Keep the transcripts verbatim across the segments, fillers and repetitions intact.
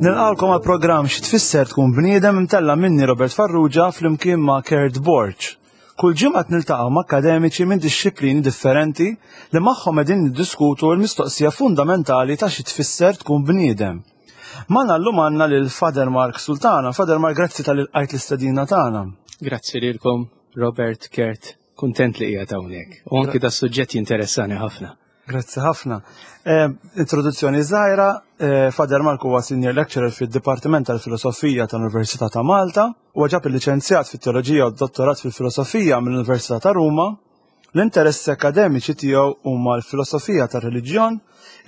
Nilqgħukom għal programm Xi Tfisser Tkun Bniedem, imtella' minni, Robert Farrugia, flimkien ma' Kurt Borg. Kull ġimgħa niltaqgħu ma' akademiċi minn dixxiplini differenti li magħhom qegħdin niddiskutu l-mistoqsija fundamentali ta' xi tfisser tkun bniedem. Magħna llum għandna lil Father Mark Sultana. Father Mark, grazzi talli lqajt l-istedina tagħna. Grazzi lilkom, Robert, Kurt, kuntent li qiegħed hawnhekk. U anki da suġġett jinteressani ħafna. Grazzi ħafna. Eh, introduzzjoni żgħira, eh, Father Mark huwa senior lecturer fid-Dipartiment tal-Filosofija tal-Università ta' Malta, u ġab il-liċenzjat fit-Teoloġija u dottorat fil-Filosofija mill-Università ta' Ruma. L-interessi akademiċi tiegħu huma l-filosofija tar-reliġjon,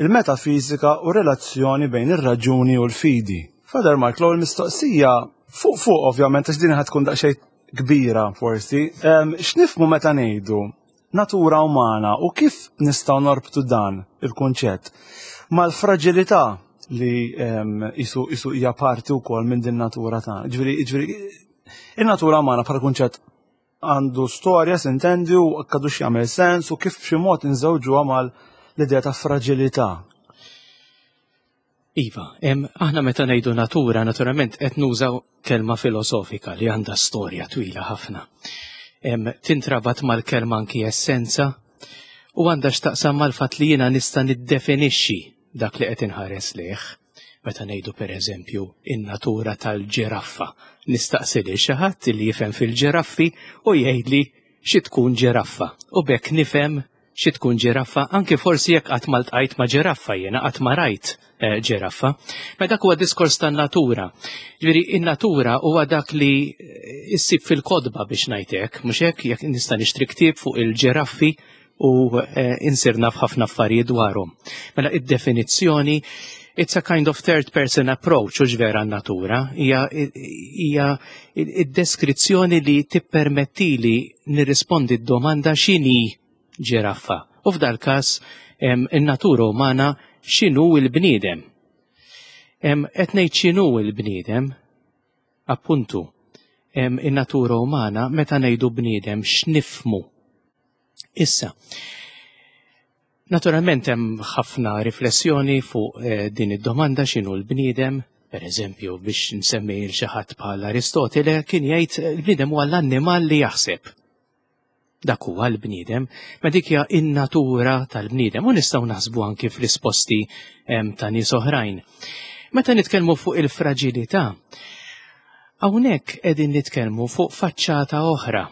il-metafizika u relazzjoni bejn ir-raġuni u l-fidi. Father Mark, l-ewwel mistoqsija fuq fuq, ovvjament, għax din ħa tkun daqsxejn kbira forsi. Em, X'nifhmu meta ngħidu natura umana u kif nistgħu norbtu dan il-kunċett mal-fraġilità li em, isu isu hija parti wkoll minn din natura tagħna? Ġifieri ġifieri in-natura umana bħala kunċett għandu storja, s'intendi, u għadux jagħmel sens, u kif b'xi mod inżewġuha mal l-idea ta' fraġilità? Iva, em, aħna meta ngħidu natura, naturalment qed nużaw kelma filosofika li għandha storja twila ħafna. Em, tintrabat mal-kelma anki essenza u għandha x'taqsam mal-fatt li jiena nista' niddefinixxi dak li qed inħares lejh. Meta ngħidu, pereżempju, in-natura tal-ġiraffa, nistaqsi lil xi ħadd li jifhem fil-ġiraffi u jgħidli xi tkun ġiraffa. U b'hekk nifhem xi tkun ġiraffa, anke forsi jekk qatt ma ltqajt ma' ġiraffa jiena, qatt ma rajt eh, ġiraffa. Ma dak huwa diskors tan-natura. Ġifieri in-natura huwa dak li eh, issib fil-kotba, biex ngħidlek, mhux hekk? Jekk nista' nixtri ktieb fuq il-ġiraffi u eh, insir naf ħafna affarijiet dwarhom. Mela id-definizzjoni, it's a kind of third person approach, u vera natura, hija hija id-deskrizzjoni li tippermettili nirrispondi d-domanda x'inhi ġiraffa. U f'dal każ in-natura umana, x'inhu l-bniedem. Qed ngħid x'inhu l-bniedem, appuntu, in-natura umana, meta ngħidu bniedem x'nifhmu? Issa, naturalment hemm ħafna riflessjoni fuq eh, din id-domanda x'inhu l-bniedem. Per eżempju, biex nsemmi l xi ħadd bħal Aristotele, kien jgħid l-bniedem huwa l-annimal li jaħseb. Dak huwa l-bniedem, ma dik hija in-natura tal-bniedem u nistgħu naħsbu anki f'risposti ta' nies oħrajn. Meta nitkellmu fuq il-fraġilità, hawnhekk qegħdin nitkellmu fuq faċċata oħra.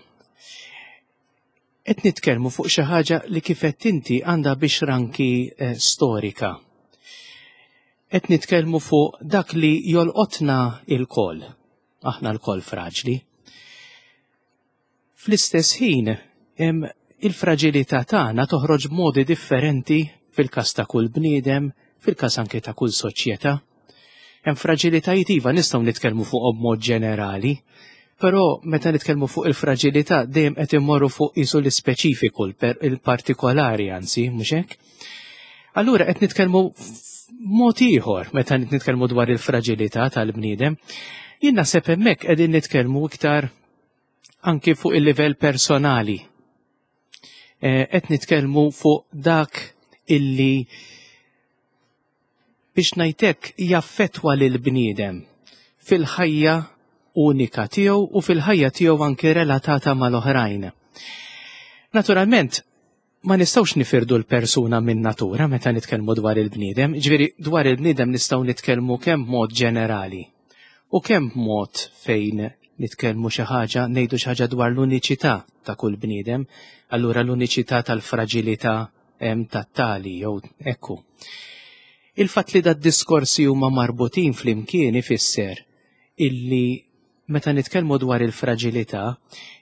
Qed nitkellmu fuq xi ħaġa li, kif qed inti, għandha biex anki eh, storika. Qed nitkellmu fuq dak li jolqotna lkoll. Aħna lkoll fraġli. Fl-istess ħin, il-fraġilità tagħna toħroġ b'modi differenti fil-każ ta' kull bniedem, fil-każ anke ta' kull soċjetà. Hemm fraġilitajiet, iva, nistgħu nitkellmu fuq b'mod ġenerali, però meta nitkellmu fuq il-fraġilità dejjem qed immorru fuq isu l-ispeċifiku, il-partikolari anzi, mhux hekk? Allura qed nitkellmu mod ieħor meta nitkellmu dwar il-fraġilità tal-bniedem. Jien naħseb hemmhekk qegħdin nitkellmu iktar anki fuq il-livell personali. Eh, qed nitkellmu fuq dak illi, biex ngħidlek, jaffetwa lil bniedem fil-ħajja unika tiegħu u fil-ħajja tiegħu anki relatata mal-oħrajn. Naturalment, ma nistgħux nifirdu l-persuna minn natura meta nitkellmu dwar il-bniedem, ġifieri dwar il-bniedem nistgħu nitkellmu kemm mod ġenerali u kemm mod fejn nitkellmu xi ħaġa, ngħidu xi ħaġa dwar l-uniċità ta' kull bniedem, allura l-uniċità tal-fraġilità tat-tali jew ekku. Il-fatt li da diskorsi huma marbutin flimkien ifisser illi meta nitkellmu dwar il-fraġilità,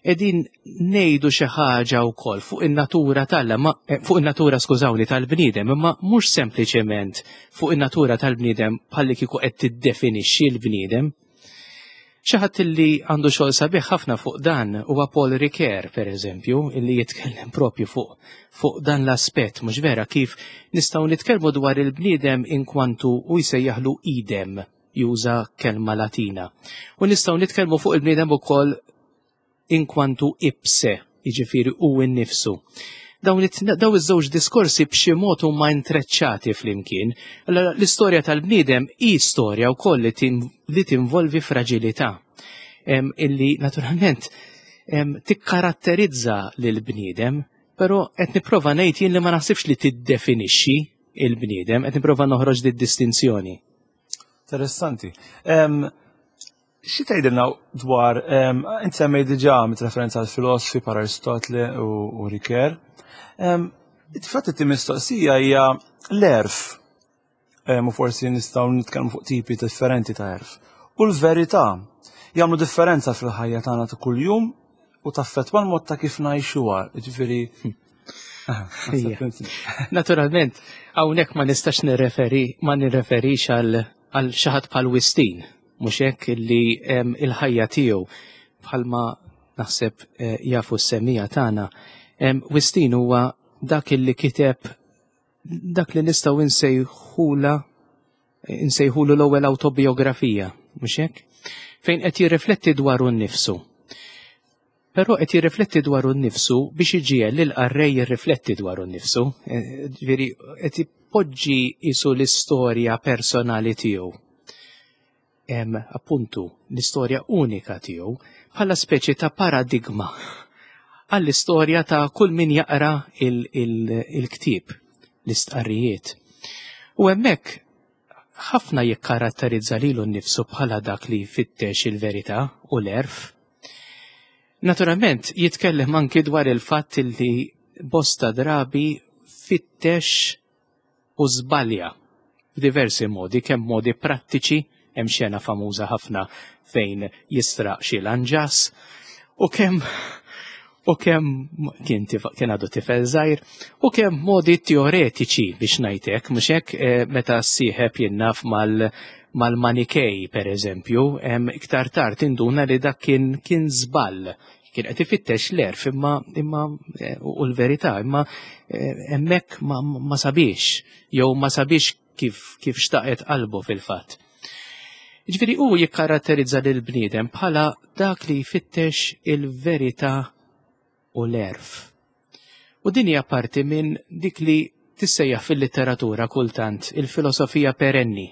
qegħdin ngħidu xi ħaġa wkoll fuq in-natura tal ma eh, fuq in-natura, skużawni, tal-bniedem, imma mhux sempliċement fuq in-natura tal-bniedem bħalli kieku qed tiddefinixxi l-bniedem. Xi ħadd illi għandu xogħol sabiħ ħafna fuq dan huwa Paul Ricoeur, per eżempju, illi jitkellem propju fuq fuq dan l-aspett, mhux vera, kif nistgħu nitkellmu dwar il-bniedem inkwantu, u jsejjaħlu idem, juża kelma Latina. U nistgħu nitkellmu fuq il-bniedem ukoll inkwantu ipse, jiġifieri hu innifsu. Dawn iż-żewġ diskorsi b'xi mod huma intreċċati flimkien. L-istorja tal-bniedem hi storja wkoll li tinvolvi fraġilità illi naturalment tikkaratterizza lill-bniedem, però qed nipprova ngħid jien li ma naħsibx li tiddefinixxi il-bniedem, qed nipprova noħroġ di distinzjoni. Interessanti. Xi tgħidilna dwar, int semmej diġà mit referenza għal filosofi par Aristotele u Ricoeur. Fatt it mistoqsija hija l-għerf, u forsi nistgħu nitkellmu fuq tipi differenti ta' għerf. U l-verità jagħmlu differenza fil-ħajja tagħna ta' kuljum u taffettwa l-mod ta' kif ngħixuha, ġifieri. Naturalment, hawnhekk ma nistax nirreferi ma nirreferix għal għal xi ħadd bħal Wistin, mhux hekk, illi il-ħajja tiegħu, bħalma naħseb eh, jafu s-semmiegħa tagħna. Wistin huwa dak illi kiteb dak li nistgħu nsejħula nsejħulu l-ewwel autobiografija, mhux hekk? Fejn qed jirrifletti dwaru nnifsu. Però qed jirrifletti dwaru nnifsu biex iġiegħel lil qarrej jirrifletti dwaru nnifsu. Eh, ġifieri qed ipoġġi isu l-istorja personali tiegħu. Hemm appuntu l-istorja unika tiegħu bħala speċi ta' paradigma għall-istorja ta' kull min jaqra il-ktieb, l-istqarrijiet. U hemmhekk ħafna jikkaratterizza lilu nnifsu bħala dak li jfittex il-verità u l-għerf. Naturalment, jitkellem anki dwar il-fatt li bosta drabi fittex u żbalja f'diversi modi, kemm modi prattiċi, hemm xena famuża ħafna fejn jisraq xi lanġas, u kemm u kemm kien kien għadu tifel żgħir, u kemm modi teoretiċi biex ngħidlek, mhux hekk, eh, meta ssieħeb jinnaf mal mal-Manikej, per eżempju, iktar tard induna li dak kien kien żball. Kien qed ifittex l-għerf imma imma eh, u l-verità, imma eh, hemmhekk ma, ma sabiex, jew ma sabiex kif kif xtaqet qalbu fil-fatt. Ġifieri hu jikkaratterizza lil bniedem bħala dak li jfittex il-verità u l-għerf. U din hija parti minn dik li tissejjaħ fil-litteratura kultant il-filosofija perenni.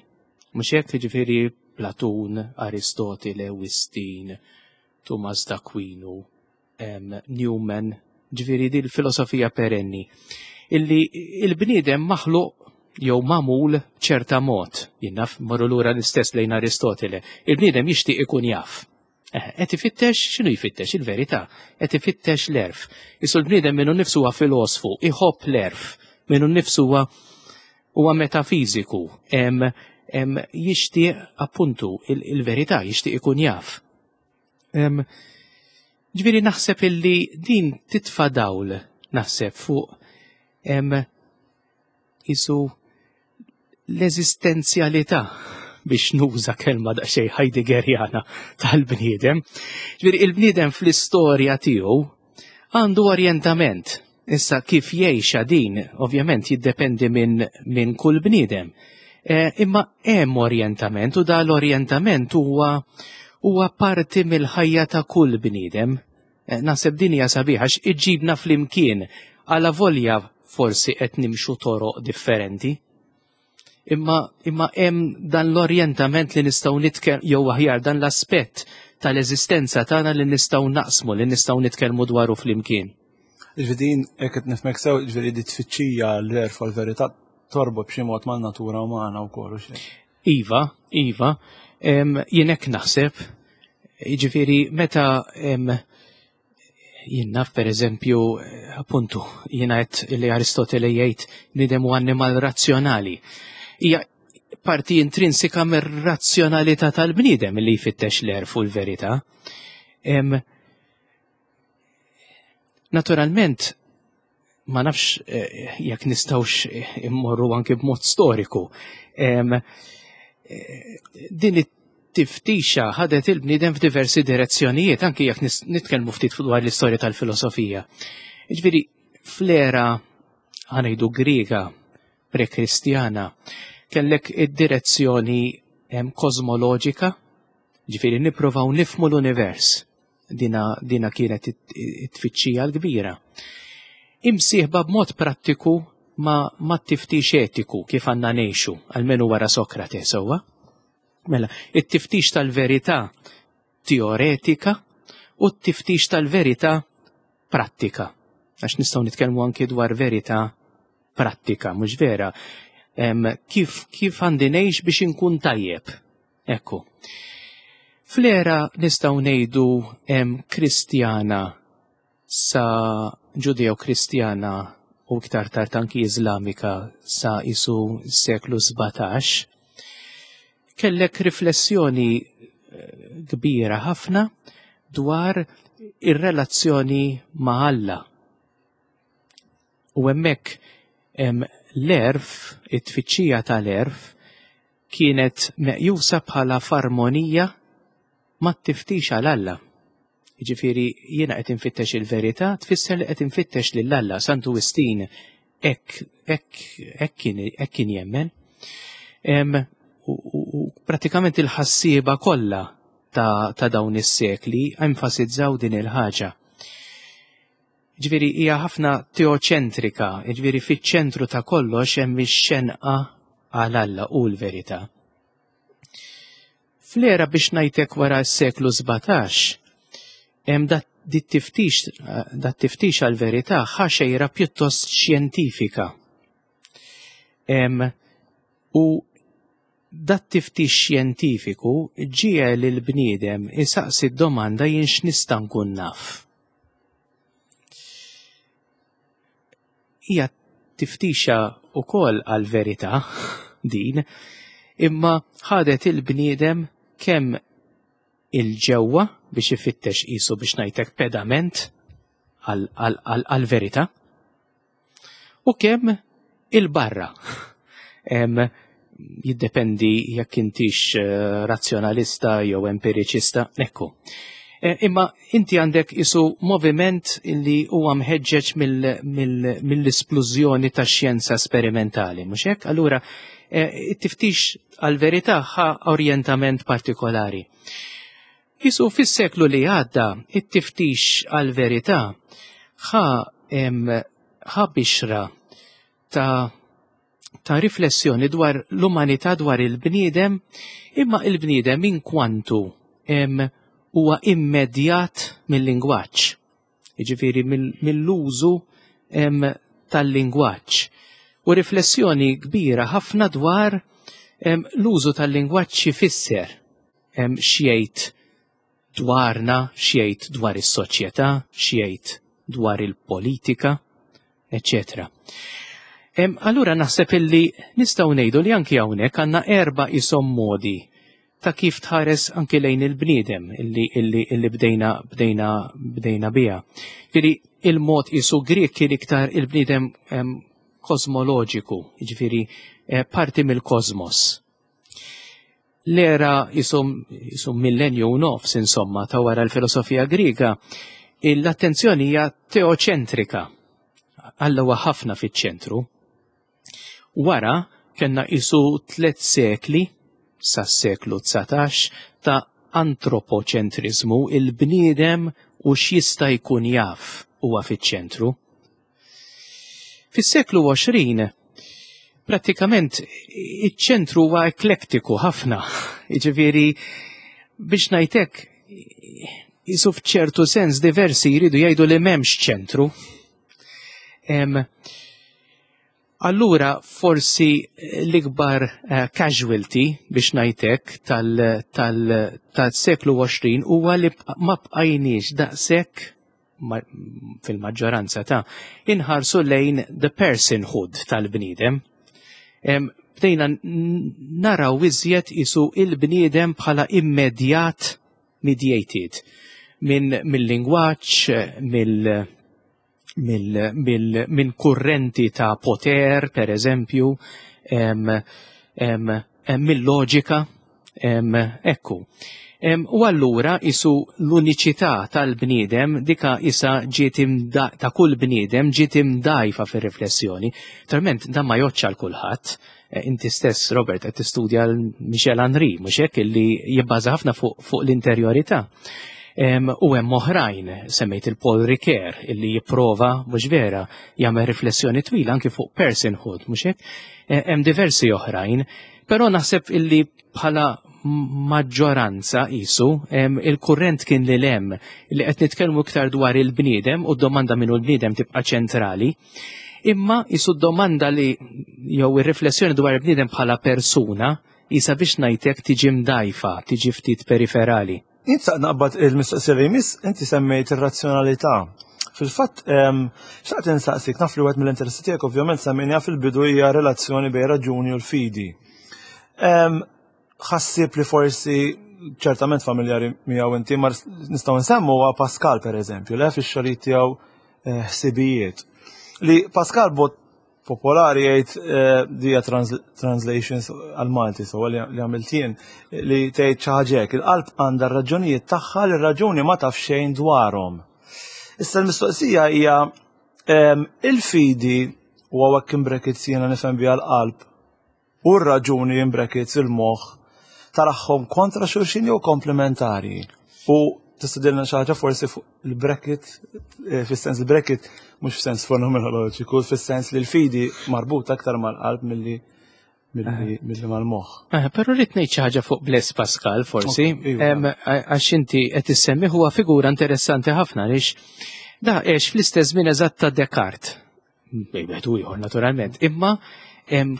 Mhux hekk, ġifieri Platun, Aristotele, Wistin, Tumas d'Aquino, Newman, ġifieri di l-filosofija perenni. Illi il-bniedem maħluq jew magħmul ċerta mod, jinnaf morru lura l-istess lejn Aristotele, il-bniedem jixtieq ikun jaf. Qed ifittex, x'inhu jfittex? Il-verità, qed ifittex l-għerf. Isu l-bniedem minnu nnifsu huwa filosfu, iħobb l-għerf, minnu nnifsu huwa huwa metafiżiku, jixtieq appuntu il-verità, jixtieq ikun jaf. Ġifieri naħseb illi din titfa' dawl, naħseb fuq isu l-eżistenzjalità, biex nuża kelma daqsxejn Heideggerjana, tal-bniedem. Ġifieri il-bniedem fl-istorja tiegħu għandu orjentament. Issa kif jgħixha din, ovvjament jiddependi minn min kull bniedem. E, imma hemm orjentament u da l-orjentament huwa huwa parti mill-ħajja ta' kull bniedem. E, naħseb din hija sabiħa iġibna flimkien għala volja forsi qed nimxu toroq differenti. Imma imma hemm dan l-orjentament li nistgħu nitkellmu, jew aħjar dan l-aspett tal-eżistenza tagħna li nistgħu naqsmu, li nistgħu nitkellmu dwaru flimkien. Ġifieri jekk qed nifhmek sew, ġifieri di tfittxija l-għerf u l-verità torbot b'xi mod man-natura umana wkoll u xejn. Iva, iva, jien hekk naħseb, ġifieri meta jien naf, per eżempju, appuntu, jiena qed li Aristotele jgħid bniedem u annimal razzjonali. Hija parti intrinsika mir-razzjonalità tal-bniedem li jfittex l-għerf u l-verità. Naturalment, ma nafx eh, jekk nistgħux immorru anki b'mod storiku. Eh, din it-tiftixa ħadet il-bniedem f'diversi direzzjonijiet, anki jekk nitkellmu ftit dwar l-istorja tal-filosofija. Ġifieri, fl-era ħa ngħidu Griega prekristjana, kellek id-direzzjoni kosmoloġika, ġifieri nipprovaw nifmu l-univers. Dina, dina kienet it-tfittxija l-kbira. Imsieħba b'mod prattiku ma, ma tiftix etiku kif għandna ngħixu, almenu wara Sokrate sewwa. Mela, it-tiftix tal-verità teoretika u t-tiftix tal-verità prattika. Għax nistgħu nitkellmu anki dwar verità prattika, mhux vera. Em, kif, kif għandi ngħix biex inkun tajjeb. Ekku. Fl-era nistgħu ngħidu Kristjana sa Ġudeo-Kristjana u iktar tard anki Iżlamika sa isu seklu sbatax, kellek riflessjoni eh, kbira ħafna dwar ir-relazzjoni ma' Alla. U hemmhekk l-għerf, it-tfittxija tal-għerf, kienet meqjusa bħala f'armonija mat-tiftix għal Alla. Jiġifieri jiena qed infittex il-verità, tfisser li qed infittex lil Alla. Santu Wistin hekk hekk kien jemmen. U, u, u pratikament il-ħassieba kollha ta', ta' dawn is-sekli enfasizzaw din il-ħaġa. Ġifieri hija ħafna teoċentrika, ġifieri fiċ-ċentru ta' kollox hemm ix-xenqa għal Alla u l-verità. Fl-era biex ngħidlek wara s-seklu sbatax, hemm dat tiftix dat tiftix għal-verità ħa xejra pjuttost xjentifika. U dat tiftix xjentifiku ġiegħel il-bniedem isaqsi d-domanda jien x'nista' nkun naf. Hija tiftixa wkoll għal-verità din, imma ħadet il-bniedem kemm il-ġewwa biex ifittex qisu biex ngħidlek pedament għal-verità u kemm il-barra. Jiddependi jekk intix razzjonalista jew empiriċista, ekku. Imma inti għandek isu moviment li huwa mħeġġeġ mill-isplużjoni ta' xjenza sperimentali, mhux hekk? Allura it-tiftix għal-verità ħa orjentament partikolari. Isu fis-seklu li għadda, it-tiftix għal-verità ħa ħa bixra ta' ta' riflessjoni dwar l-umanità, dwar il-bniedem, imma il-bniedem in kwantu huwa immedjat mill-lingwaġġ, jiġifieri mill-użu tal-lingwaġġ. U riflessjoni kbira ħafna dwar l-użu tal-lingwaġġ x'ifisser, x'jgħid dwarna, x'jgħid dwar is-soċjetà, x'jgħid dwar il-politika, eċċetera. Allura naħseb illi nistgħu ngħidu li anki hawnhekk għandna erba' isom modi ta' kif tħares anki lejn il-bniedem illi, illi, illi bdejna, bdejna, bdejna biha. Ġifieri il-mod isu Grieg kien iktar il-bniedem kosmoloġiku, jiġifieri parti mill-kosmos. L-era isum, isum millenju u nofs insomma ta' wara l-filosofija Griega, l-attenzjoni hija teoċentrika. Alla huwa ħafna fiċ-ċentru. Wara kellna isu tliet sekli sas-seklu dsatax ta' antropoċentrizmu, il-bniedem u x'jista' jkun jaf huwa fiċ-ċentru. Fis-seklu għoxrin prattikament iċ-ċentru huwa eklektiku ħafna. Jiġifieri biex ngħidlek isu f'ċertu sens diversi jridu jgħidu li m'hemmx ċentru. Allura forsi l-ikbar casualty biex ngħidlek tal-seklu għoxrin huwa li ma bqajniex daqshekk fil-maġġoranza ta' inħarsu lejn the personhood tal-bniedem. Bdejna naraw iżjed isu il-bniedem bħala immedjat mediated minn mill-lingwaġġ, mill minn kurrenti ta' poter, per eżempju, mill-loġika, ekku. U allura isu l-uniċità tal-bniedem dika isa ġiet ta' kull bniedem ġiet imdajfa fir-riflessjoni. Naturalment dan ma jgħodx għal kulħadd. Inti stess, Robert, qed tistudja l Michel Henry, mhux hekk, illi jibbaża ħafna fuq, fuq l-interjorità. U hemm oħrajn, semmejt il-Paul Ricoeur, illi jipprova, mhux vera, jagħmel riflessjoni twila anki fuq personhood, mhux hekk? E, hemm diversi oħrajn, però naħseb illi bħala maġġoranza isu il-kurrent kien li lem li qed nitkellmu iktar dwar il-bniedem u d-domanda minnu l-bniedem tibqa' ċentrali. Imma isu d-domanda li jew ir-riflessjoni dwar il-bniedem bħala persuna isa biex ngħidlek tiġi mdajfa, tiġi ftit periferali. Insa naqbad il-mistoqsija li jmiss, inti semmejt ir-razzjonalità. Fil-fatt, xtaqt insaqsik, naf li wieħed mill-interessi tiegħek ovvjament semmejniha fil-bidu hija relazzjoni bejn raġuni u l-fidi. Ħassib li forsi ċertament familjari miegħu inti, ma nistgħu nsemmu huwa Pascal pereżempju, le fix-xogħlijiet tiegħu eh, ħsibijiet. Li Pascal bot popolari jgħid eh, dija translations għal-Malti, so li għamilt jien, li tgħid xi ħaġa hekk, il-qalb għandha r-raġunijiet tagħha li r-raġuni ma taf xejn dwarhom. Issa l-mistoqsija hija il-fidi u hawnhekk in brackets jiena nifhem biha l-qalb u r-raġuni in brackets il-moħħ tarahom kontra xulxin jew komplementari. U tista' dilna xi ħaġa forsi fuq il-bracket, eh, fis-sens il-bracket mhux f'sens fenomenoloġiku, fis-sens li l-fidi marbuta aktar mal-qalb milli milli mal-moħħ. Eh, però rrid ngħid xi ħaġa fuq Blaise Pascal forsi, iva. għax inti qed issemmi huwa figura interessanti ħafna għaliex da għex fl-istess żmien eżatt ta' Descartes. Bejn wieħed u ieħor naturalment, imma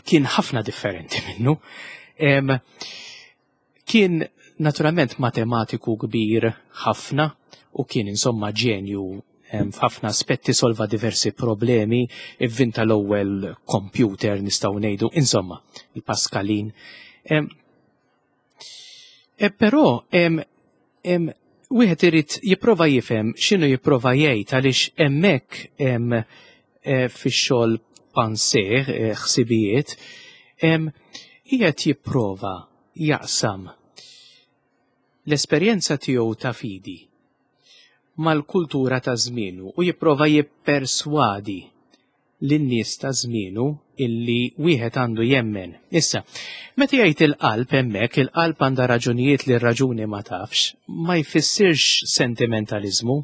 kien ħafna differenti minnu. Kien naturalment matematiku kbir ħafna u kien insomma ġenju f'ħafna aspetti, solva diversi problemi, ivvinta l-ewwel computer nistgħu ngħidu, insomma, il-Pascalin. E, però wieħed irid jipprova jifhem x'inhu jipprova jgħid għaliex hemmhekk e, fix-xogħol Pensées, e, ħsibijiet, qiegħed jipprova jaqsam l-esperjenza tiegħu ta' fidi mal-kultura ta' żmienu u jipprova jipperswadi lin-nies ta' żmienu illi wieħed għandu jemmen. Issa, meta jgħid il-qalb hemmhekk, il-qalb għandha raġunijiet li r-raġuni ma tafx, ma jfissirx sentimentalizmu.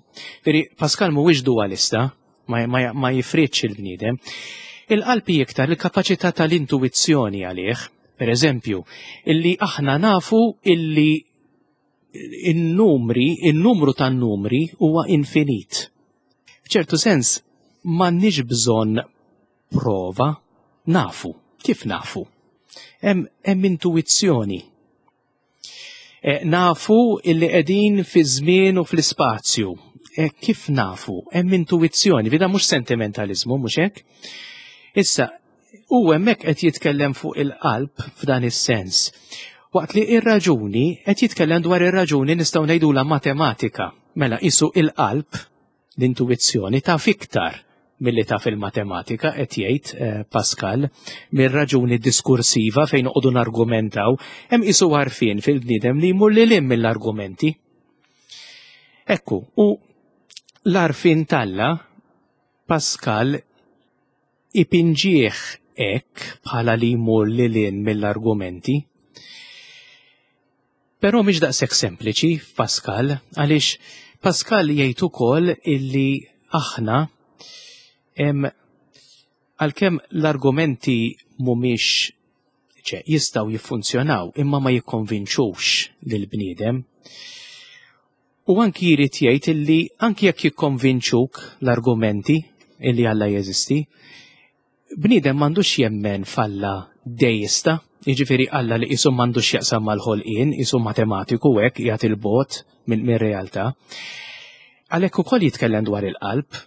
Veri Pascal mhuwiex dualista, ma, ma, ma jifridx il-bniedem. Il-qalb hi iktar il-kapaċità tal-intuizzjoni għalih, per eżempju, illi aħna nafu illi il-numri, il-numru tan-numri huwa infinit. F'ċertu sens, m'għandniex bżonn prova, nafu. Kif nafu? Hemm intuizzjoni. E, nafu illi qegħdin fi żmien u fl-ispazju. E, kif nafu? Hemm intuizzjoni, vida mhux sentimentalizmu, mhux hekk? Issa, u hemmhekk qed jitkellem fuq il-qalb f'dan is-sens. Waqt li ir-raġuni qed jitkellem dwar ir-raġuni nistgħu ngħidula matematika. Mela isu il-qalb, l-intuizzjoni taf iktar milli taf il-matematika qed jgħid eh, Pascal mir-raġuni diskursiva fejn noqogħdu nargumentaw, hemm isu għarfien fil-bniedem li jmur lil hinn mill-argumenti. Ekku, u l-għarfien t'Alla Pascal ipinġieħ hekk bħala li jmur lil hinn mill-argumenti. Però mhix daqshekk sempliċi f'Pascal, għaliex Pascal jgħid ukoll illi aħna għalkemm l-argumenti mhumiex ċe jistgħu jiffunzjonaw imma ma jikkonvinċux lill-bniedem. U anki jrid jgħid illi anki jekk jikkonvinċuk l-argumenti illi Alla jeżisti, bniedem m'għandux jemmen f'Alla deista, jiġifieri Alla li qisu m'għandux jaqsam mal-ħolqien, qisu matematiku hekk qiegħed il-bogħod minn realtà. Għalhekk ukoll jitkellem dwar il-qalb,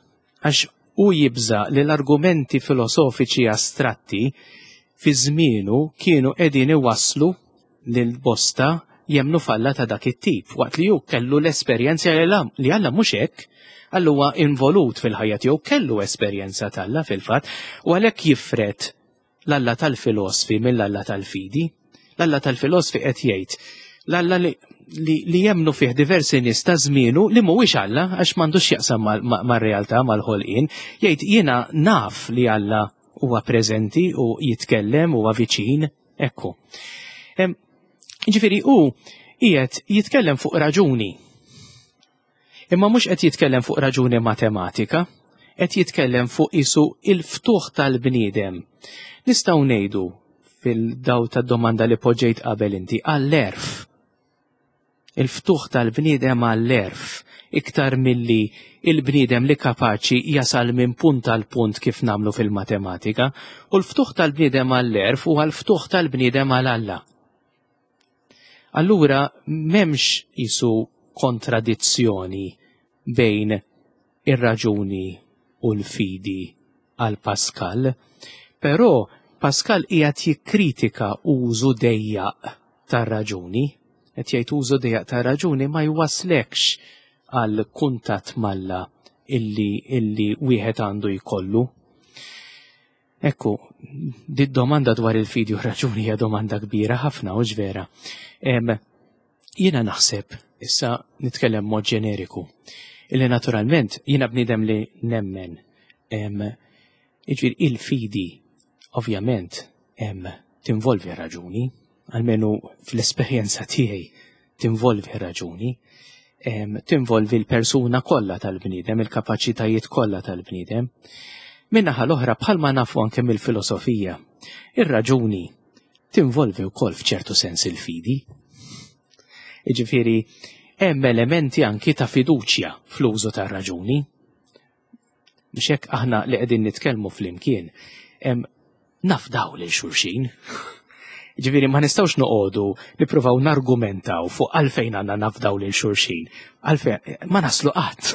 għax u jibża li l-argumenti filosofiċi astratti fi żmienu kienu qegħdin iwasslu lil bosta jemnu f'Alla ta' dak it-tip, waqt li hu kellu l-esperjenza li Alla mhux hekk, Alla huwa involut fil-ħajja tiegħu, kellu esperjenza t'Alla fil-fatt, u għalhekk jifred l-Alla tal-filosfi mill-Alla tal-fidi. L-Alla tal-filosfi qed jgħid l-Alla li, li, li jemnu fih diversi nies ta' żmienu li mhuwiex Alla għax m'għandux jaqsam mar-realtà mal-ħolqien, jgħid jiena naf li Alla huwa preżenti u jitkellem huwa viċin, ekku. Ġifieri hu qiegħed jitkellem fuq raġuni. Imma mhux qed jitkellem fuq raġuni matematika, qed jitkellem fuq isu il-ftuħ tal-bniedem. Nistgħu ngħidu fil-daw tad-domanda li poġġejt qabel inti għall-għerf. Il-ftuħ tal-bniedem għall-għerf iktar milli il-bniedem li kapaċi jasal minn punt għal punt kif nagħmlu fil-matematika, u l-ftuħ tal-bniedem għall-għerf u għal-ftuħ tal-bniedem għal Alla. Allura m'hemmx isu kontradizzjoni bejn ir-raġuni u l-fidi għal Pascal, però Pascal qiegħed jikkritika użu dejjaq tar-raġuni, qed jgħid użu dejjaq tar-raġuni ma jwaslekx għal kuntatt m'Alla illi illi wieħed għandu jkollu. Ekku, di domanda dwar il-fidi u raġuni hija domanda kbira ħafna u vera. Jiena naħseb, issa nitkellem mod ġeneriku, illi naturalment jiena bniedem li nemmen. Jiġifieri il-fidi ovvjament tinvolvi raġuni, almenu fl-esperjenza tiegħi tinvolvi raġuni, tinvolvi l-persuna kollha tal-bniedem, il-kapaċitajiet kollha tal-bniedem. Min-naħa l-oħra, bħalma nafu anke mill-filosofija, ir-raġuni tinvolvi wkoll f'ċertu sens il-fidi. Jiġifieri hemm elementi anki ta' fiduċja fl-użu tar-raġuni. Biex hekk aħna li qegħdin nitkellmu flimkien, nafdaw lil xulxin. Ġifieri ma nistgħux noqogħdu nippruvaw nargumentaw fuq għalfejn għandna nafdaw lil xulxin. Għalfejn ma naslu qatt.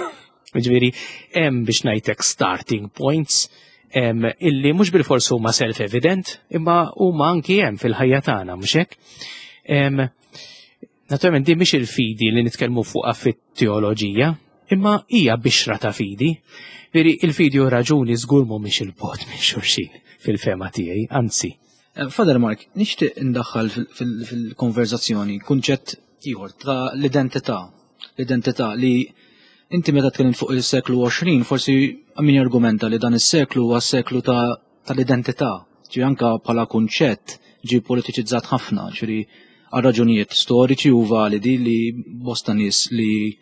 Ġifieri hemm, biex ngħidlek, starting points illi mhux bil-fors huma self-evident, imma huma anki hemm fil-ħajja tagħna, mhux hekk? Naturalment din mhix il-fidi li nitkellmu fuqha fit-teoloġija, imma hija bixra ta' fidi. Veri il-fidi u raġuni żgur mhumiex 'il bogħod minn xulxin fil-fehma tiegħi, anzi. Eh, Father Mark, nixtieq indaħħal fil-konverzazzjoni kunċett ieħor ta' l-identità. L-identità li inti meta tkellimt fuq il-seklu għoxrin, forsi min argumenta li dan is-seklu huwa seklu tal-identità. Ġi anka bħala kunċett ġi politiċizzat ħafna, ġifieri għal raġunijiet storiċi u validi li bosta nies li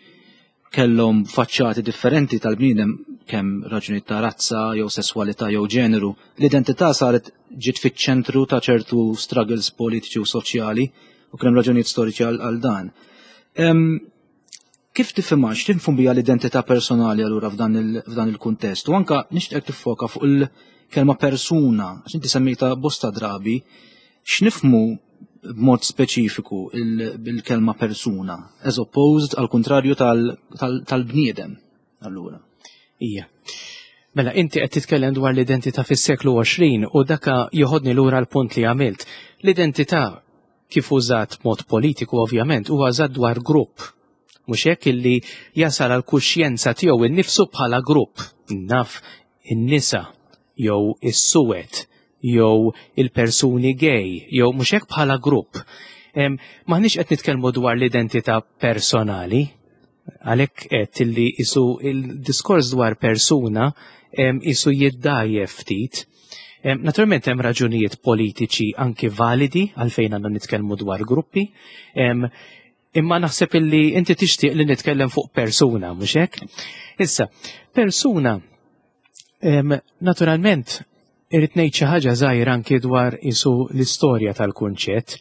kellhom faċċati differenti tal-bniedem, kemm raġunijiet ta' razza jew sesswalità jew ġeneru. L-identità saret ġiet fiċ-ċentru ta' ċertu struggles politiċi u soċjali u kien raġunijiet storiċi għal dan. Kif tifhimha, x'tifhem biha l-identità personali allura f'dan il-kuntest? U anka nixtieq tiffoka fuq il-kelma persuna, għax inti semmejta bosta drabi, x'nifhmu b'mod speċifiku bil-kelma persuna, as opposed għal kontrarju tal-bniedem, allura? Ija. Mela, inti qed titkellem dwar l-identità fis-seklu għoxrin u daka joħodni lura l-punt li għamilt. L-identità kif użat mod politiku ovvjament huwa użat dwar grupp. Mhux hekk, illi jasal għal kuxjenza tiegħu innifsu bħala grupp. Naf in-nisa jew is-suwed jew il-persuni gay jew mhux hekk, bħala grupp. M'aħniex qed nitkellmu dwar l-identità personali, għalhekk qed illi isu il-diskors dwar persuna isu jiddajjef ftit. Naturalment hemm raġunijiet politiċi anki validi għalfejn għandna nitkellmu dwar gruppi. Imma naħseb illi inti tixtieq li nitkellem fuq persuna, mhux hekk? Issa, persuna, naturalment irrid ngħid xi ħaġa żgħira anki dwar isu l-istorja tal-kunċett.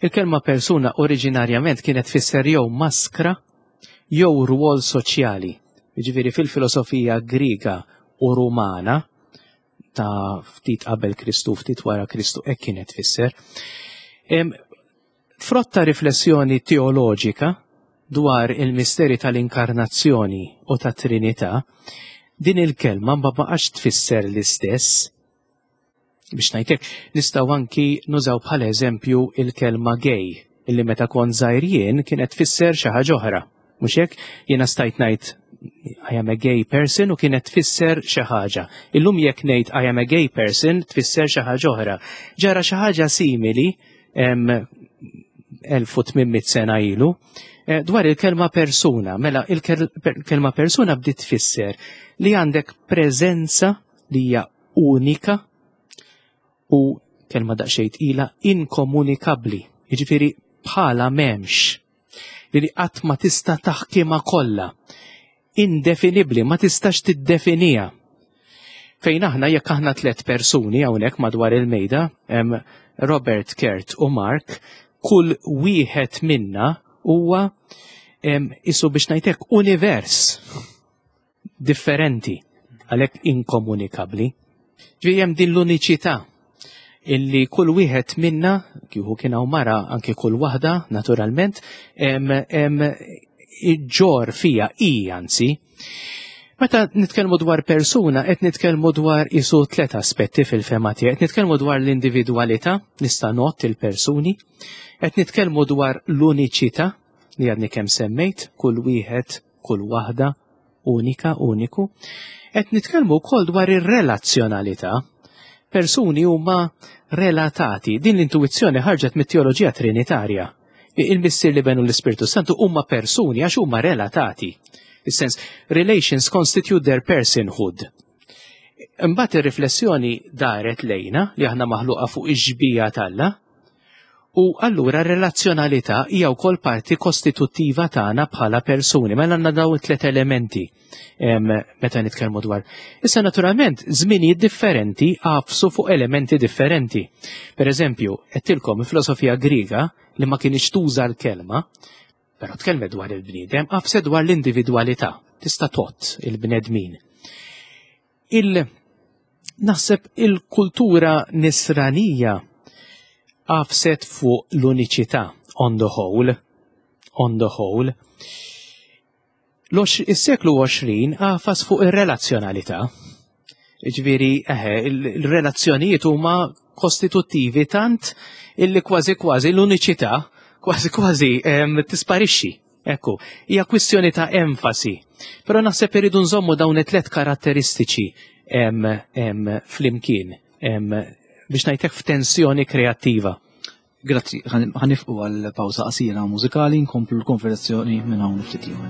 Il-kelma persuna oriġinarjament kienet tfisser jew maskra jew rwol soċjali. Jiġifieri fil-filosofija Griega u Rumana ta' ftit qabel Kristu, ftit wara Kristu, hekk kienet tfisser. Frotta riflessjoni teoloġika dwar il-misteri tal-inkarnazzjoni u tat Trinità, din il-kelma ma baqax tfisser l-istess. Biex ngħidlek, nistgħu anki nużaw bħala eżempju il-kelma gay, illi meta kont żgħir jien kienet tfisser xi ħaġa oħra. Mhux hekk, jiena stajt ngħid "I am a gay person" u kienet tfisser xi ħaġa. Illum jekk ngħid "I am a gay person" tfisser xi ħaġa oħra. Ġara xi ħaġa simili elf u tmien mitt sena ilu eh, dwar il-kelma persuna. Mela il-kelma persuna bdiet tfisser li għandek preżenza li hija unika u, kelma daqsxejn tqila, inkomunikabbli. Jiġifieri bħala m'hemmx. Li qatt ma tista' taħkimha kollha. Indefinibbli, ma tistax tiddefinija. Fejn aħna, jekk aħna tliet persuni hawnhekk madwar il-mejda, Robert, Kurt u Mark, kull wieħed minna huwa isu biex ngħidlek univers differenti, għalhekk inkomunikabbli. Ġifieri hemm din l-uniċità illi kull wieħed minna, kieku kien hawn mara anke kull waħda, naturalment, ġor fija i anzi. Meta nitkellmu dwar persuna, qed nitkellmu dwar isu tliet aspetti fil-fehma tiegħi. Qed nitkellmu dwar l-individwalità, nista' ngħodd il-persuni, qed nitkellmu dwar l-uniċità li għadni kemm semmejt, kull wieħed, kull waħda, unika, uniku. Qed nitkellmu wkoll dwar ir-relazzjonalità. Persuni huma relatati. Din l-intuizzjoni ħarġet mit-teoloġija trinitarja. Il-Missier, l-Iben u l-Ispirtu Santu huma persuni għax huma relatati. Is-sens, relations constitute their personhood. Imbagħad ir-riflessjoni daret lejna li aħna maħluqa fuq ix-xbieha t'Alla, u allura relazzjonalità hija wkoll parti kostituttiva tagħna bħala persuni. Mela għandna dawn it-tliet elementi meta nitkellmu dwar. Issa naturalment żminijiet differenti għafsu fuq elementi differenti. Per eżempju, għedtilkom il-filosofija Griega li ma kienx tuża l-kelma, però tkellmet dwar il-bniedem, għafset dwar l-individwalità, tista' tgħodd il-bnedmin. Il naħseb il-kultura nisranija għafset fuq l-uniċità on the whole, on the whole. Is-seklu għoxrin għafas fuq ir-relazzjonalità. Ġifieri, eħe, il-relazzjonijiet huma kostituttivi tant illi kważi kważi l-uniċità kważi kważi tisparixxi. Ekku, hija kwistjoni ta' enfasi. Però naħseb iridu nżommu dawn it-tlet karatteristiċi flimkien biex ngħidlek f'tensjoni kreattiva. Grazzi, ħa nieqfu għal pawża qasira mużikali, nkomplu l-konversazzjoni minn hawn ftit ieħor.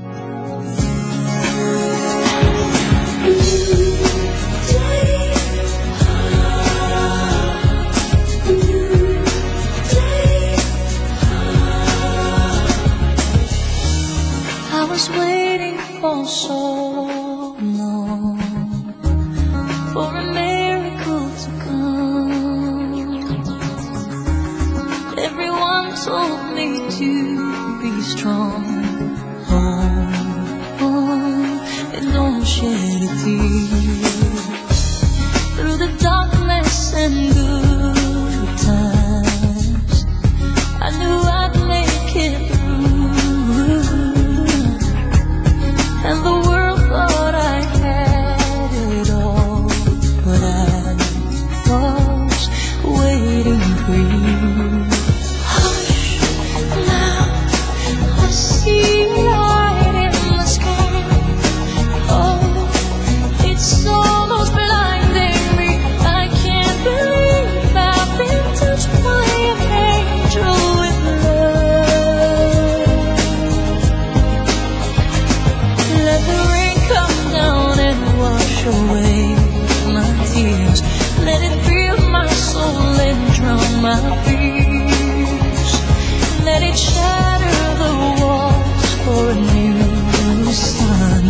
I was waiting for so long for a miracle to come. Everyone told me to be strong, oh, oh, and don't shed a tear. Through the darkness and good times, I knew I'd make it through. And the world thought I had it all, but I was waiting for you. Hush, now I see light in the sky. Oh, it's almost blinding me. I can't believe I've been touched by an angel with love. Let the rain come down and wash away my tears. Let it fill my soul and drown my fears. Let it shatter the walls for a new sun.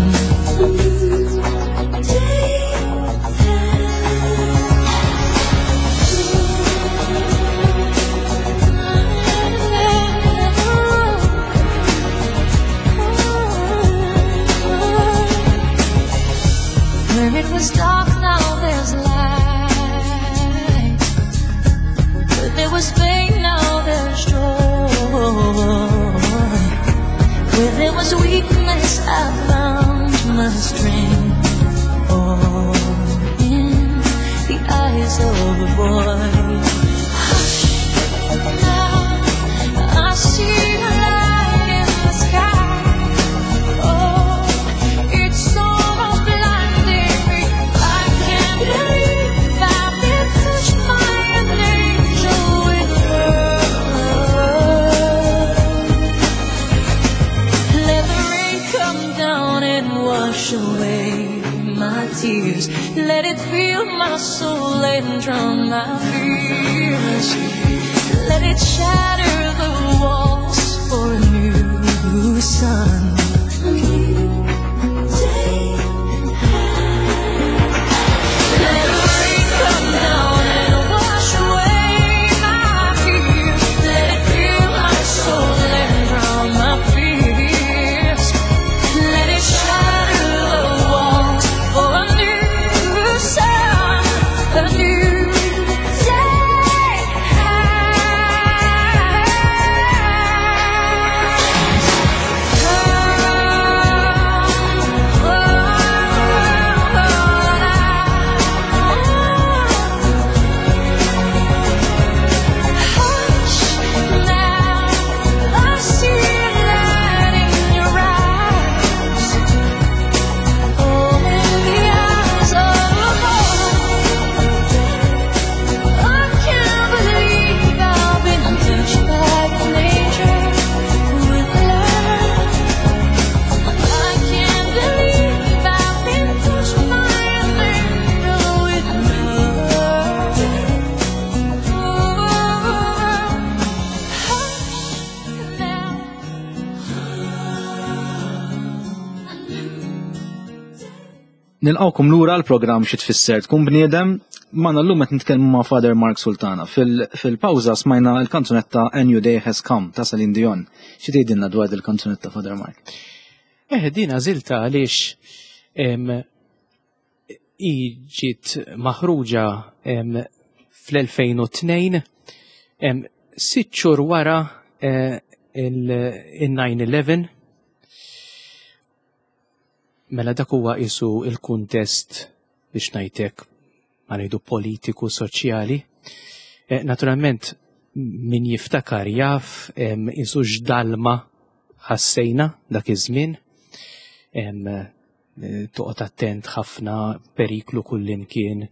Day. Where it was dark, now there's light. Where there was pain, now there's joy. Where there was weakness, I found my strength. Oh, in the eyes of a boy. Hush, now I see a light in the sky. Oh, it's almost blinding me. I can't believe I've been touched by an angel with love. Let the rain come down and wash away my tears. Let it fill my soul and drown my fears. Let it shatter the walls for a new sun. Day. Nilqgħukom lura l-programm Xi Tfisser Tkun Bniedem. Magħna llum qed nitkellmu ma' Father Mark Sultana. Fil-pawża smajna l-kanzunetta A New Day Has Come ta' Celine Dion. Xi tgħidilna dwar il-kanzunetta, Father Mark? Eh, din għażiltha għaliex hi ġiet maħruġa fl-elfejn u tnejn, sitt xhur wara eh, il-nine eleven. Mela dak huwa qisu il-kuntest, biex ngħidlek, ma ngħidu politiku soċjali. Eh, naturalment min jiftakar jaf qisu x'dalma ħassejna dak iż-żmien. Eh, toqgħod attent ħafna, periklu kullimkien.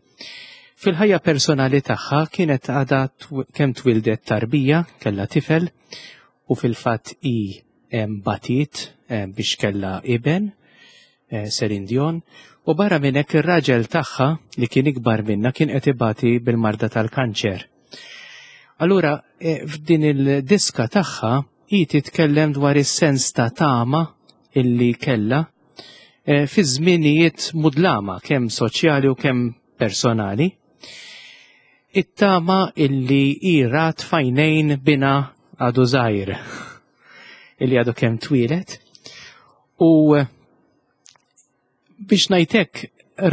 Fil-ħajja personali tagħha kienet għadha kemm twildet tarbija, kellha tifel, u fil-fatt i batiet biex kellha iben, eh, Celine Dion, u barra minn hekk ir-raġel tagħha, li kien ikbar minna, kien qed ibati bil-marda tal-kanċer. Allura eh, f'din il-diska tagħha hi titkellem dwar is-sens ta' tama illi kella eh, fi żminijiet mudlama, kemm soċjali u kemm personali. It-tama illi hi rat f'għajnejn binha għadu żgħir, illi għadu kemm twieled. U biex ngħidlek,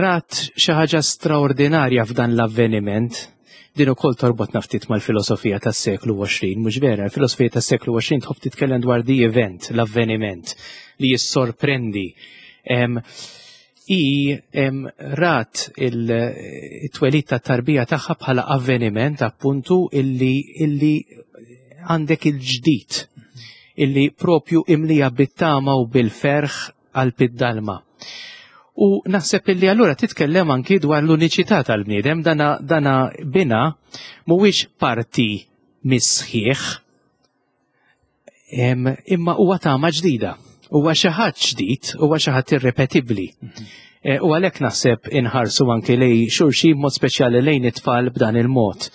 rat xi ħaġa straordinarja f'dan l-avveniment. Din ukoll torbot ftit mal-filosofija tas-seklu għoxrin, mhux vera? Il-filosofija tas-seklu għoxrin tħobb titkellem dwar the event, l-avveniment li jissorprendi. I rat il-twelid ta' tarbija tagħha bħala avveniment appuntu illi illi għandek il-ġdid, illi propju imlija bit-tama u bil-ferħ għal id-dalma. U naħseb illi allura titkellem anki dwar l-uniċità tal-bniedem, dana, dana bina mhuwiex parti mis-sħiħ, imma huwa tama ġdida. Huwa xi ħadd ġdid, huwa xi ħadd irrepetibbli. E, u għalhekk naħseb inħarsu anki lejn xulxin, mod speċjali lejn it-tfal, b'dan il-mod.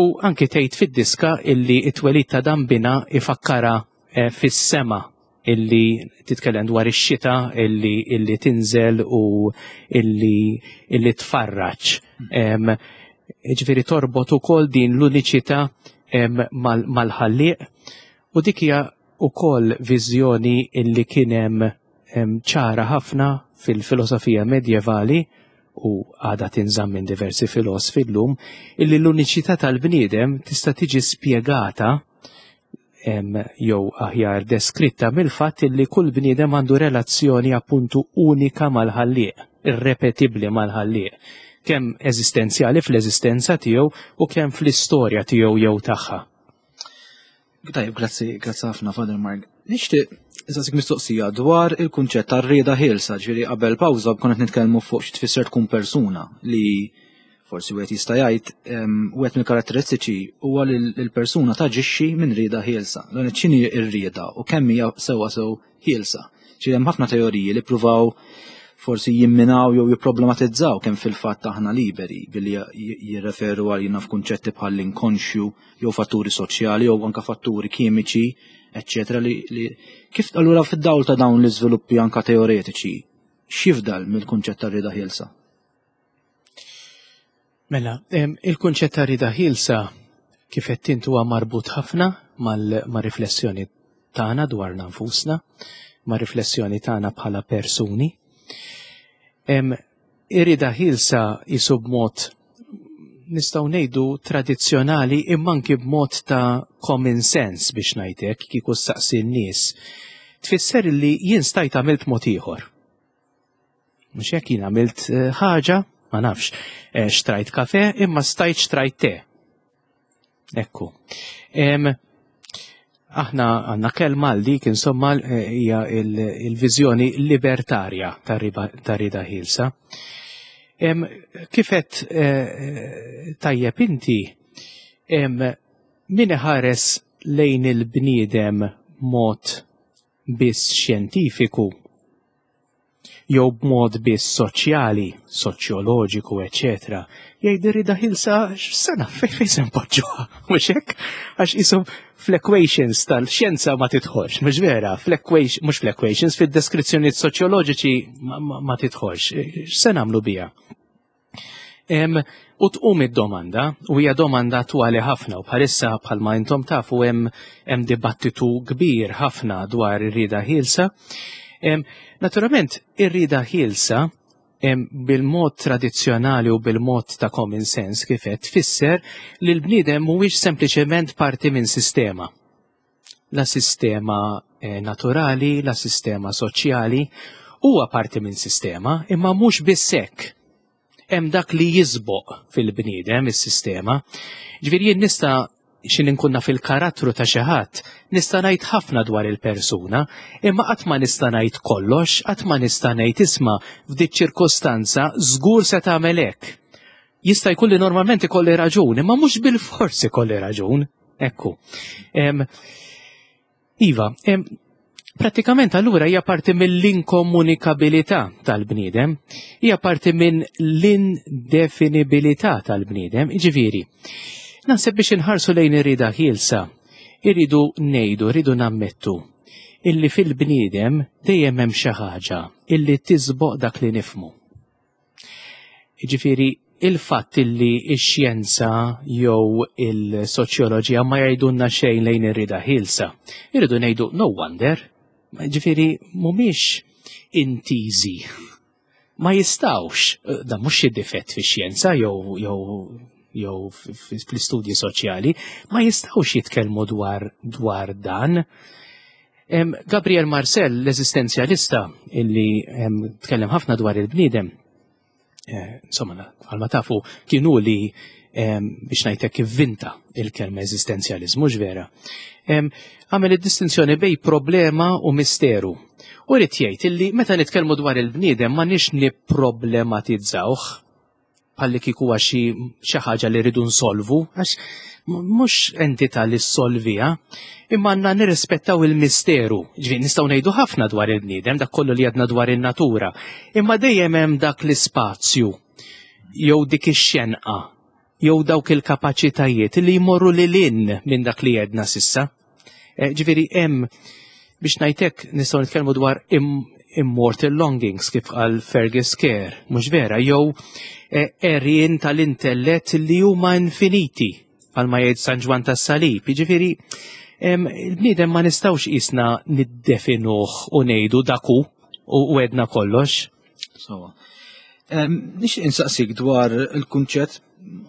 U anki tgħid fid-diska illi it-twelid ta' dan bina ifakkara e, fis-sema, illi titkellem dwar ix-xita illi, illi tinżel u illi, illi tfarraġ. Ġifieri torbot ukoll din l-uniċità mal-Ħallieq, u dik hija ukoll viżjoni illi kien hemm ċara ħafna fil-filosofija medjevali u għada tinżamm minn diversi filosofi llum, illi l-uniċità tal-bniedem tista' tiġi spjegata jew aħjar deskritta mill-fatt illi kull bniedem għandu relazzjoni appuntu unika mal-Ħallieq, irrepetibbli mal-Ħallieq, kemm eżistenzjali fl-eżistenza tiegħu u kemm fl-istorja tiegħu jew tagħha. Tajjeb, grazzi, grazzi ħafna, Father Mark. Nixtieq insaqsik mistoqsija dwar il-kunċett tar-rieda ħielsa. Ġifieri qabel pawża konna qed nitkellmu fuq xi tfisser tkun persuna, li forsi wieħed jista' jgħid wieħed mill-karatteristiċi huwa li l-persuna taġixxi minn rieda ħielsa. Dan x'inhi r-rieda u kemm hija sewwa sew ħielsa? Ġifieri hemm ħafna teoriji li pruvaw forsi jimminaw jew jipproblematizzaw kemm fil-fatt aħna liberi, billi jirreferu għalina f'kunċetti bħal l-inkonxju jew fatturi soċjali jew anka fatturi kimiċi, eccetera. Li, li kif allura, fid-dawl ta' dawn l-iżviluppi anka teoretiċi, x'jifdal mill-kunċett tar-rieda ħielsa? Mela, il-kunċett ta' rieda ħielsa, kif qed int, huwa marbut ħafna mal-riflessjoni tagħna dwar nfusna, ma' riflessjoni tagħna bħala persuni. Ir-rieda ħielsa qisu b'mod, nistgħu ngħidu, tradizzjonali, imma anki b'mod ta' common sense, biex ngħidlek, kieku ssaqsi n-nies, tfisser li jien stajt għamilt mod ieħor. Mhux hekk? Jien għamilt eh, ħaġa, ma nafx, eh, xtrajt kafe imma stajt xtrajt te. Ekku. Aħna għandna kelma għal dik, insomma, eh, hija il-viżjoni libertarja ta' rieda ħielsa. Kif għedt tajjeb inti, min iħares lejn il-bniedem mod biss xjentifiku jew b'mod biss soċjali, soċjoloġiku, eċetera, jgħid ir-rieda ħielsa x'sena fejn fejn se npoġġuha, mhux hekk? Għax isom fl-equations tal-xjenza ma tidħolx, mhux vera, fl-equation, mhux fl-equations, fid-deskrizzjonijiet soċjoloġiċi ma, ma, ma tidħolx. X'se nagħmlu biha? Em, u tqum id-domanda, u hija domanda attwali ħafna, u bħalissa bħalma intom tafu hemm hemm dibattitu kbir ħafna dwar ir-rieda ħielsa. Em, Naturalment, ir-rieda ħielsa em, bil-mod tradizzjonali u bil-mod ta' common sense kif qed tfisser li l-bniedem mhuwiex sempliċement parti minn sistema. La sistema eh, naturali, la sistema soċjali, huwa parti minn sistema, imma mhux biss hekk. Hemm dak li jisboq fil-bniedem is-sistema. Ġifieri jien nista' xin inkunna fil-karattru ta' xi ħadd, nista' ngħid ħafna dwar il-persuna, imma qatt ma nista' ngħid kollox, qatt ma nista' ngħid isma' f'dik ċirkostanza żgur se tagħmel hekk. Jista' jkun li normalment ikolli raġun, imma mhux bil-fors ikolli raġun. Ekku. Em, Iva, em, pratikament allura hija parti mill-inkomunikabilità tal-bniedem, hija parti minn l-indefinibilità tal-bniedem, ġifieri. Naħseb biex inħarsu lejn ir-rieda ħielsa, irridu ngħidu, irridu nammettu illi fil-bniedem dejjem hemm xi ħaġa illi tisboq dak li nifmu. Ġifieri, il-fatt illi x-xjenza jew il-soċjoloġija ma jgħidulna xejn lejn ir-rieda ħielsa, irridu ngħidu no wonder, ġifieri mhumiex intiżi. Ma jistawx, dan mhux xi difett fix-xjenza jew jew jew fl-istudji soċjali, ma jistawx jitkellmu dwar dwar dan. Em, Gabriel Marcel, l-eżistenzjalista, illi em, tkellem ħafna dwar il-bniedem, eh, insomma, bħalma tafu, kienu li em, biex ngħidlek ivvinta il-kelma eżistenzjalizmu, vera. Em, Għamel id-distinzjoni bejn problema u misteru. U rrid jgħid illi meta nitkellmu dwar il-bniedem ma nix nipproblematizzawh bħalli kieku huwa xi xi ħaġa li rridu nsolvu, għax mhux entità li ssolviha, imma għandna nirrispettaw il-misteru. Ġifieri nistgħu ngħidu ħafna dwar il-bniedem, dak kollu li għadna dwar in-natura, imma dejjem hemm dak l-ispazju jew dik ix-xenqa jew dawk il-kapaċitajiet li jmorru lil hinn minn dak li għedna s'issa. Eh, Ġifieri hemm biex ngħidlek nistgħu nitkellmu dwar im immortal longings kif qal Fergus Kerr, mhux vera, jew eh, għerien tal-intellett li huma infiniti bħalma jgħid San Ġwann tas-Salib. Jiġifieri em, il-bniedem ma nistgħux qisna niddefinuh u ngħidu daku u u għedna kollox. Sawa. Nixtieq insaqsik dwar il-kunċett,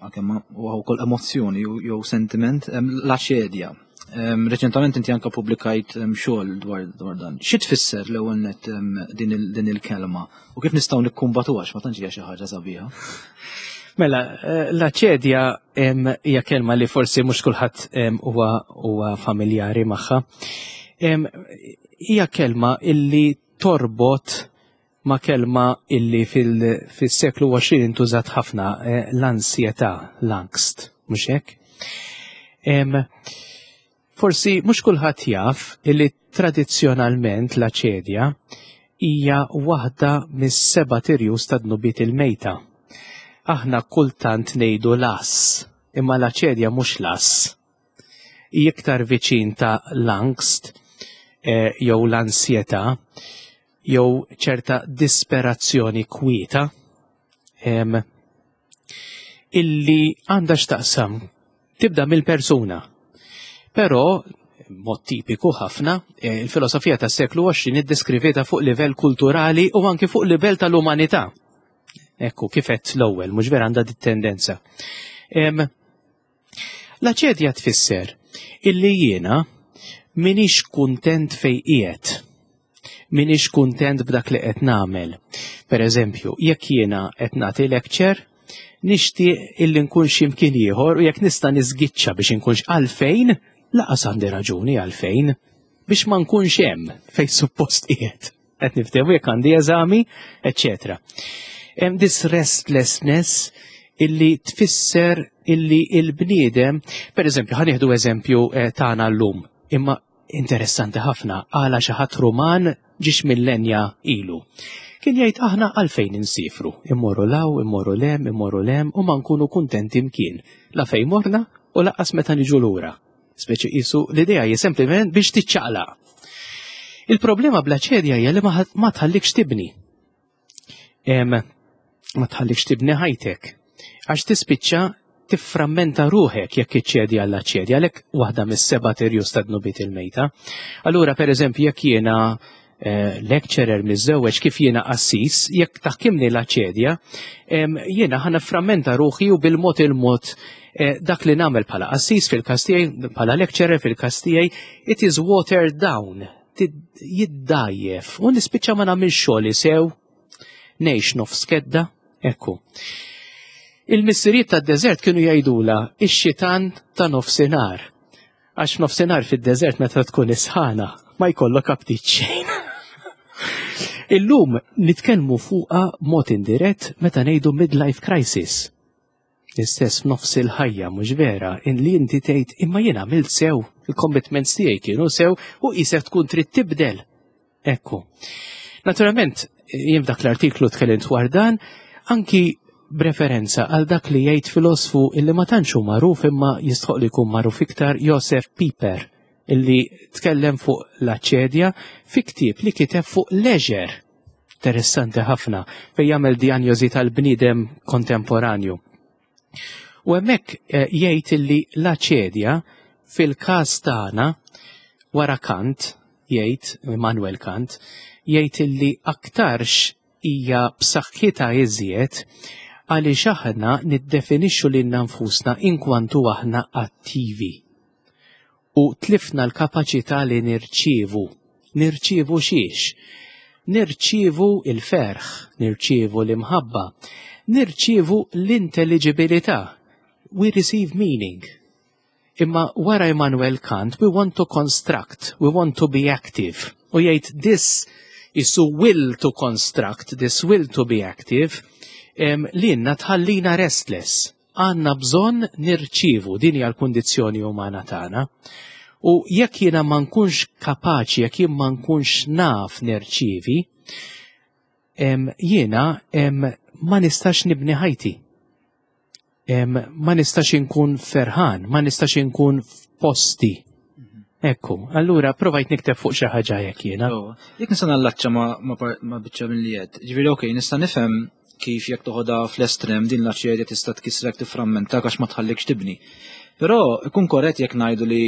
għalkemm huwa wkoll emozzjoni jew jew sentiment, em, l-aċedja. Em, Reċentament inti anka publikajt em, xogħol dwar dwar dan. Xi tfisser l-ewwel net em, din il- din il-kelma u kif nistgħu nikkumbatuha għax ma tantx hija xi ħaġa sabiħa. Mela, eh, l-aċedja em, hija kelma li forsi mhux kulħadd em, huwa huwa familjari magħha. Em, Hija kelma illi torbot ma' kelma illi fil- fis-seklu għoxrin intużat ħafna, eh, l-ansjetà, l-angst, mhux hekk? Em, Forsi mhux kulħadd jaf illi tradizzjonalment l-aċedja hija waħda mis-seba' tirjus ta' dnubiet il-mejta. Aħna kultant ngħidu las, imma l-aċedja mhux las. Hija iktar viċin ta' l-angst eh, jew l-ansjetà jew ċerta disperazzjoni kwieta em, illi għandha x'taqsam tibda mill-persuna. Però, mod tipiku ħafna, eh, il-filosofija tas seklu għoxrin iddeskrivietha fuq livell kulturali u anki fuq livell tal-umanità. Ekku, kif għedt l-ewwel, mhux vera għandha dit tendenza. Em, L-aċedja tfisser illi jiena minix kuntent fej qiegħed. Minix kuntent b'dak li qed nagħmel. Per eżempju, jekk jiena qed nagħti lecture, nixtieq illi nkun x'imkien ieħor u jekk nista' niżgiċċa biex inkunx għalfejn, lanqas għandi raġuni għalfejn, biex ma nkunx hemm fejn suppost qiegħed. Qed niftehmu jekk għandi eżami, eċċetera. Hemm this restlessness illi tfisser illi il-bniedem, per eżempju, ħa nieħdu eżempju eh, tagħna llum, imma interessanti ħafna, għala xi ħadd Ruman ġiex millenja ilu. Kien jgħid aħna għalfejn insifru, immorru 'l hawn, immorru 'l hemm, immorru 'l hemm u ma nkunu kuntenti mkien. La fejn morna u lanqas meta niġu lura. Speċi qisu l-idea hi sempliment biex tiċċaqlaq. Il-problema bl-aċedja hija li ma tħallikx tibni. Ma tħallikx tibni ħajtek. Għax tispiċċa tifframmenta ruħek jekk iċċedi għall-aċedja, għalhekk waħda mis-seba' irjus ta' dnubiet il-mejta. Allura, per eżempju, jekk jiena eh, lecturer miżżewweġ kif jiena qassis, jekk taħkimni l-aċedja, jiena ħa nifframmenta ruħi u bil-mod il-mod eh, dak li nagħmel bħala qassis fil-każ tiegħi, bħala lecturer fil-każ tiegħi, it is watered down, jiddajjef, u nispiċċa ma nagħmel xogħol sew, ngħix nofs kedda, ekku. Il-missirijiet tad-deżert kienu jgħidula ix-xitan ta' nofsinhar. Għax nofsinhar fid-deżert meta tkun isħana ma jkollok aptit xejn. Illum nitkellmu fuqha mod indirett meta ngħidu midlife crisis. Istess f'nofs il-ħajja mhux vera in li inti tgħid imma jien għamilt sew, il-commitments tiegħi kienu sew u qisek tkun trid tibdel. Ekku. Naturalment, jien f'dak l-artiklu tkellimt dwar dan, anki b'referenza għal dak li jgħid filosfu illi ma tantx hu magħruf imma jistħoq li jkun magħruf iktar Josef Pieper illi tkellem fuq l-aċedja fi ktieb li kiteb fuq leisure. Interessanti ħafna fejn jagħmel diagnosi tal-bniedem kontemporanju. U hemmhekk eh, jgħid illi l-aċedja fil-każ tagħna wara Kant, jgħid Immanuel Kant, jgħid illi aktarx hija b'saħħitha iżjed għaliex aħna niddefinixxu lilna nfusna inkwantu aħna attivi. U tlifna l-kapaċità li nirċievu. Nirċievu xiex? Nirċievu il-ferħ, nirċievu l-imħabba, nirċievu l-intelligibilità. We receive meaning. Imma wara Immanuel Kant, we want to construct, we want to be active. U jgħid this is will to construct, this will to be active, em, li jenna tħallina restless. Għanna bżonn nirċivu, din hija l-kundizzjoni umana tagħna. U jekk jiena ma nkunx kapaċi, jekk jien ma nkunx naf nirċivi, em, jiena em, ma nistax nibni ħajti. Em, ma nistax inkun ferħan, ma nistax inkun f'posti. Ekku, allura provajt nikteb fuq xi ħaġa jekk jiena. Oh, Jekk nista' nallaċċa ma, ma, par- ma biċċa minn li għedt. Ġifieri okej, nista' nifhem kif jekk toħodha fl-estrem din l-aċedja tista' tkissrek tifframmentak għax ma tħallikx tibni. Però ikun korrett jekk ngħidu li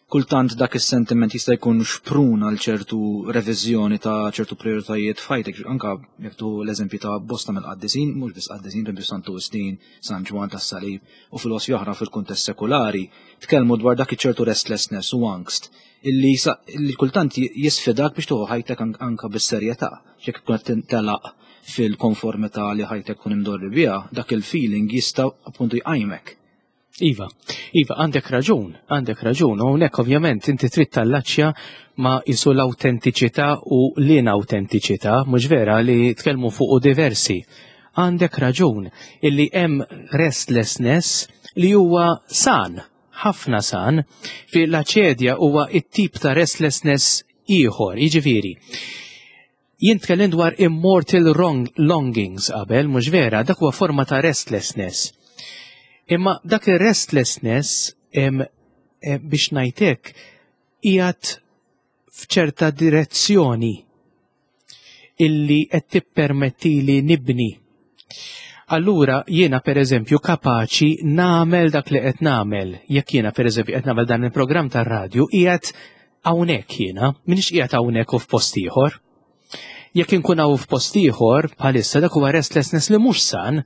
kultant dak is-sentiment jista' jkun xprun għal ċertu reviżjoni ta' ċertu prioritajiet f'ħajtek, anka jekk tieħu l-eżempju ta' bosta mill-qaddisin, mhux biss qaddisin, pereżempju Santu Wistin, San Ġwann tas-Salib u filosofi oħra fil-kuntest sekulari, tkellmu dwar dak iċ-ċertu restlessness u angst illi, sa- illi kultant jisfidak biex tieħu ħajtek an- anka bis-serjetà. Jekk tkun qed telaq fil-konformità li ħajtek tkun imdorri biha, dak il-feeling jista' appuntu jqajmek. Iva, Iva, għandek raġun, għandek raġun, u hawnhekk ovvjament inti trid tallaċċja ma jisu l-autentiċità u l-inautentiċità, mhux vera li tkellmu fuq diversi. Għandek raġun illi hemm restlessness li huwa san, ħafna san, fi l-aċedja huwa it-tip ta' restlessness ieħor, jiġifieri. Jien tkellim dwar immortal wrong longings qabel, mhux vera, dak huwa forma ta' restlessness. Imma dak il-restlessness em, em, biex ngħidlek qiegħed f'ċerta direzzjoni illi qed tippermettili nibni. Allura jiena per eżempju kapaċi nagħmel dak li qed nagħmel. Jekk jiena per eżempju qed nagħmel dan il-programm tar-radju qiegħed hawnhekk jiena, m'iniex qiegħed hawnhekk u f'post ieħor. Jekk inkun hawn f'post ieħor bħalissa dak huwa restlessness li mhux san,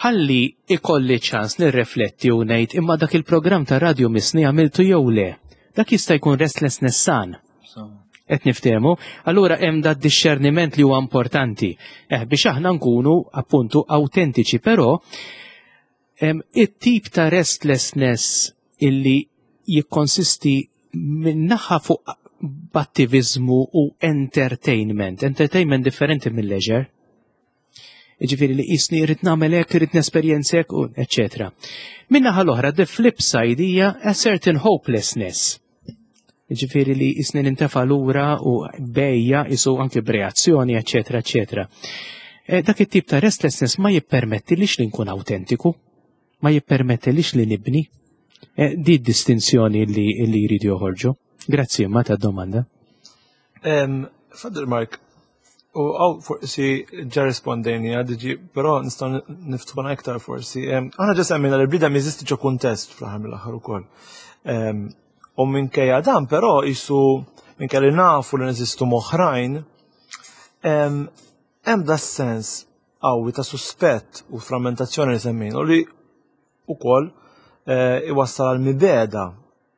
ħalli ikolli ċans nirrifletti u ngħid imma dak il-programm ta' radio missni għamiltu jew le. Dak jista' jkun restlessness san. Qed niftehmu, allura hemm dat discerniment li huwa importanti. Eh, biex aħna nkunu appuntu autentiċi, però em, it-tip ta' restlessness illi jikkonsisti min-naħa fuq b'attivizmu u entertainment. Entertainment differenti mill leisure. Ġifieri li jisni irrid nagħmel hekk, irrid nesperjenza hekk, u eċetera. Min-naħa l-oħra, the flip side hija a certain hopelessness. Ġifieri li jisni nintefa lura u bejja isu anki b'reazzjoni, eċetera, eċetera. E, dak it-tip ta' restlessness ma jippermettilix li nkun autentiku, ma jippermettilix li nibni. E, di distinzjoni li, li jridu joħorġu. Grazzi ma ta' domanda. Father Mark, u għaw forsi ġa rispondejni għadġi, pero nistgħu niftħuna iktar forsi. Aħna ġa semmejna li l-bniedem jeżisti ġo kuntest fl-aħħar mill-aħħar ukoll. U minkejja dan, però jisu minkejja li nafu li neżistu m'oħrajn, hemm da sens qawwi ta' suspett u frammentazzjoni li semmejna u li ukoll eh, iwassal għal mibegħda.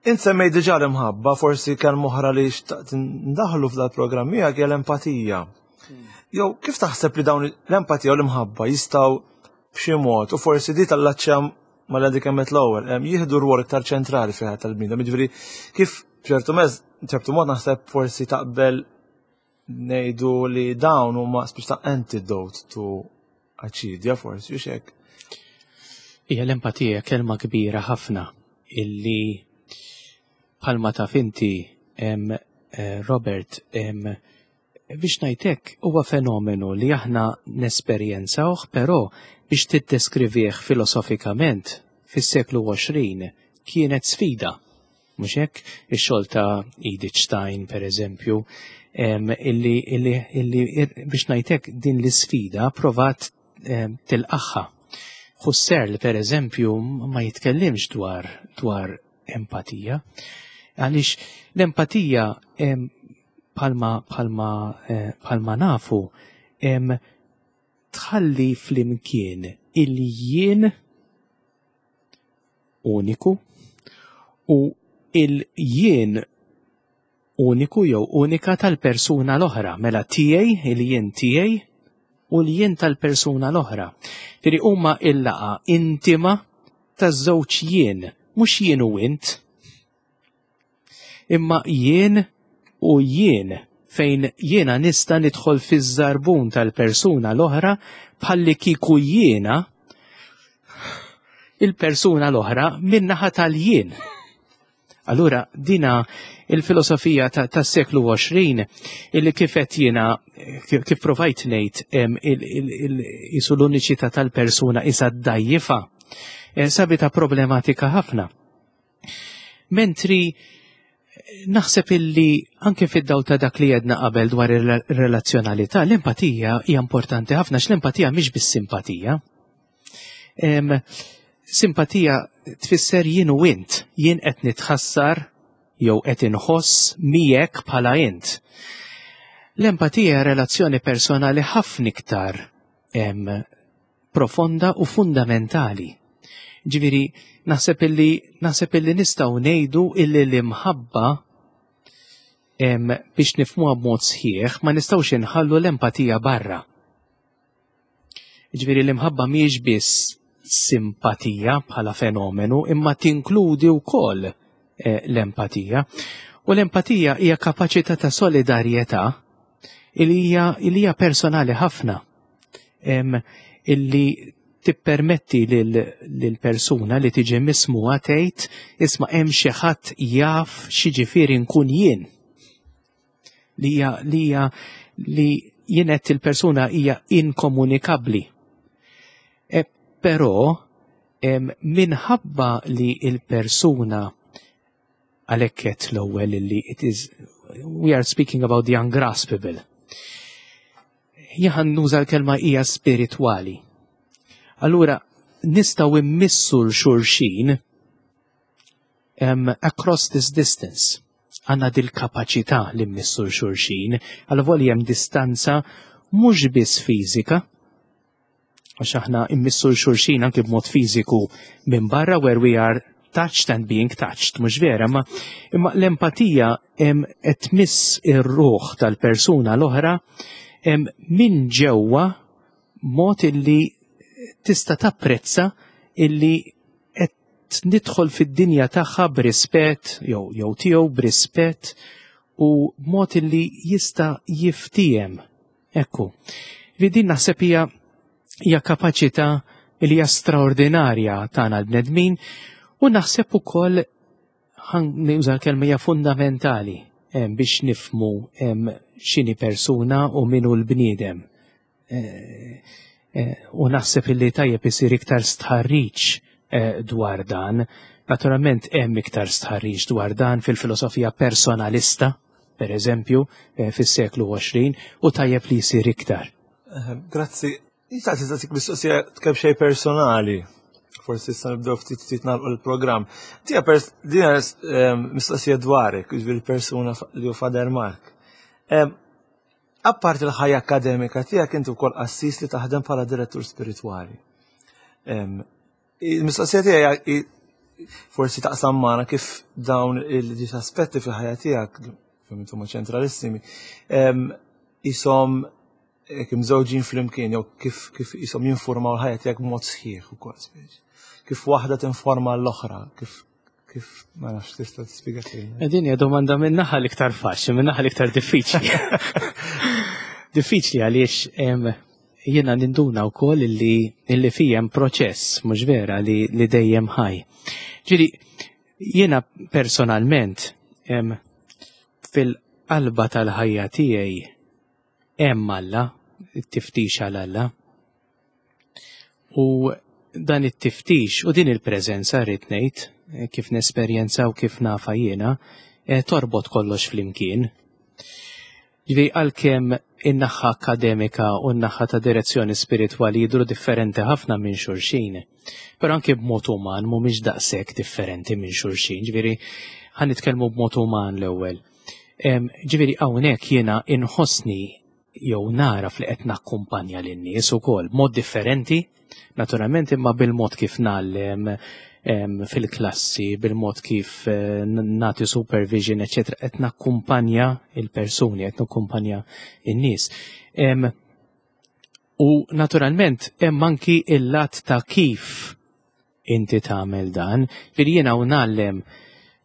Int semmejt diġà l-imħabba, forsi kelma oħra li xtaqt ndaħlu f'dal programm miegħek hija l-empatija. Jew kif taħseb li dawn l-empatija u l-imħabba jistgħu b'xi mod u forsi di tal-laċċja ma li kemmet l-ewwel, jieħdu rwol iktar ċentrali fiha tal-bniedem. Jiġifieri kif b'ċertu mezz, ċertu mod naħseb forsi taqbel ngħidu li dawn huma speċi ta' antidote to aċidja forsi u hekk. Hija l-empatija kelma kbira ħafna illi bħalma taf inti em, eh, Robert em, biex ngħidlek huwa fenomenu li aħna nesperjenzawh, però biex tiddeskrivih filosofikament fis-seklu għoxrin kienet sfida. Mhux hekk? Ix-xogħol ta' Edith Stein, per eżempju, em, illi, illi, illi biex ngħidlek din l-isfida provat em, tilqagħha. Husserl, per eżempju, ma jitkellimx dwar, dwar empatija. Għaliex l-empatija em, bħalma, bħalma, eh, bħalma nafu em, tħalli flimkien il-jien uniku u il-jien uniku jew unika tal-persuna l-oħra, mela tiegħi, il-jien tiegħi u l-jien tal-persuna l-oħra. Tiri huma il-laqgħa intima taż-żewġ jien, mhux jien u int, imma jien u jien fejn jiena nista' nidħol fiż-żarbun tal-persuna l-oħra bħalli kieku jiena il-persuna l-oħra min-naħa tal-jien. Allura dina il-filosofija tas-seklu għoxrin illi kif qed jiena kif provajt ngħid isu l-uniċità tal-persuna isa ddajjifa eh, sabita problematika ħafna. Mentri naħseb illi anke fid-dawl ta' dak li jedna qabel dwar ir-relazzjonalità, l-empatija hija importanti ħafna x-l-empatija mhix biss simpatija. Simpatija tfisser jien u int, jien qed nitħassar jew qed inħoss miegħek bħala int. L-empatija relazzjoni personali ħafna iktar profonda u fundamentali. Ġifieri, naħseb illi naħseb illi nistgħu ngħidu illi l-imħabba biex nifhmuha b'mod sħiħ ma nistgħux inħallu l-empatija barra. Ġifieri l-imħabba mhijiex biss simpatija bħala fenomenu imma tinkludi wkoll eh, l-empatija. U l-empatija hija kapaċità ta' solidarjetà li hija li hija personali ħafna. Illi tippermetti lil persuna li tiġi mismugħa tgħid, "Isma', hemm xi ħadd jaf x'jiġifieri nkun jien." Li hija li hija li jienet il-persuna hija inkomunikabbli. E, però minħabba li il-persuna għalhekk l-ewwel li it is we are speaking about the ungraspable. Jaħan nuża l-kelma hija spiritwali. Allura, nistgħu immissu 'l xulxin um, across this distance. Għandna dil-kapaċità li mmissu 'l xulxin, għal hemm distanza mhux biss fiżika, għax aħna immissu 'l xulxin anki b'mod fiżiku minn barra where we are touched and being touched, mhux vera, ma imma l-empatija qed tmiss ir-ruħ tal-persuna l-oħra minn ġewwa mod illi tista' tapprezza illi qed nidħol fid-dinja tagħha b'rispett jew jew tiegħu b'rispett u mod illi jista' jiftiem. Ekku. Li din naħseb hija hija kapaċità li hija straordinarja tagħna l-bnedmin u naħseb ukoll Nuża l-kelma hija fundamentali biex nifhmu x'inhi persuna u min hu l-bniedem. Eh, eh, u naħseb illi tajjeb isir iktar stħarriġ eh, dwar dan. Naturalment hemm iktar stħarriġ dwar dan fil-filosofija personalista, per eżempju, fis-seklu għoxrin, u tajjeb li jsir iktar. Grazzi. Nistaqsi saqsik mistoqsija kemm xejn personali. Forsi issa nibdew ftit ftit nagħlqu l-programm. Tija dina mistoqsija dwarek, jiġifieri persuna li hu Father Mark. Apparti l-ħajja akademika tiegħek, inti wkoll qassis li taħdem bħala direttur spiritwali. Il-mistoqsija tiegħi forsi taqsam magħna kif dawn il-aspetti fil-ħajja tiegħek, fim huma ċentralissimi, jisom kif żewġin flimkien, jew kif kif jisom jinformaw l-ħajja tiegħek b'mod sħiħ ukoll speċi. Kif waħda tinforma l-oħra, kif kif ma nafx tista' tispjega? Din hija domanda minn naħa l-iktar faċli, minn naħa l-iktar diffiċli. Diffiċli għaliex jiena ninduna wkoll illi illi fijem proċess, mhux vera, li, li dejjem ħaj. Ġifieri, jiena personalment fil-qalba tal-ħajja tiegħi hemm Alla, it-tiftix għal Alla. U dan it-tiftix u din il-preżenza, rrid ngħid, kif nesperjenza u kif nafa jiena, eh, torbot kollox flimkien. Ġifieri, għalkemm in-naħa akademika u n-naħa ta' direzzjoni spiritwali jidru differenti ħafna minn xulxin, però anke b'mod uman mhumiex daqshekk differenti minn xulxin, ġifieri ħa nitkellmu b'mod uman l-ewwel. Ġifieri hawnhekk jiena inħossni jew nara li qed nakkumpanja lin-nies ukoll b'mod differenti, naturalment, imma bil-mod kif ngħallem fil-klassi, bil-mod kif eh, nagħti supervision, eċċetera, qed nakkumpanja il-persuni, qed nakkumpanja in-nies. U naturalment hemm anki il-lat ta' kif inti tagħmel dan, ġifieri jiena u ngħallem,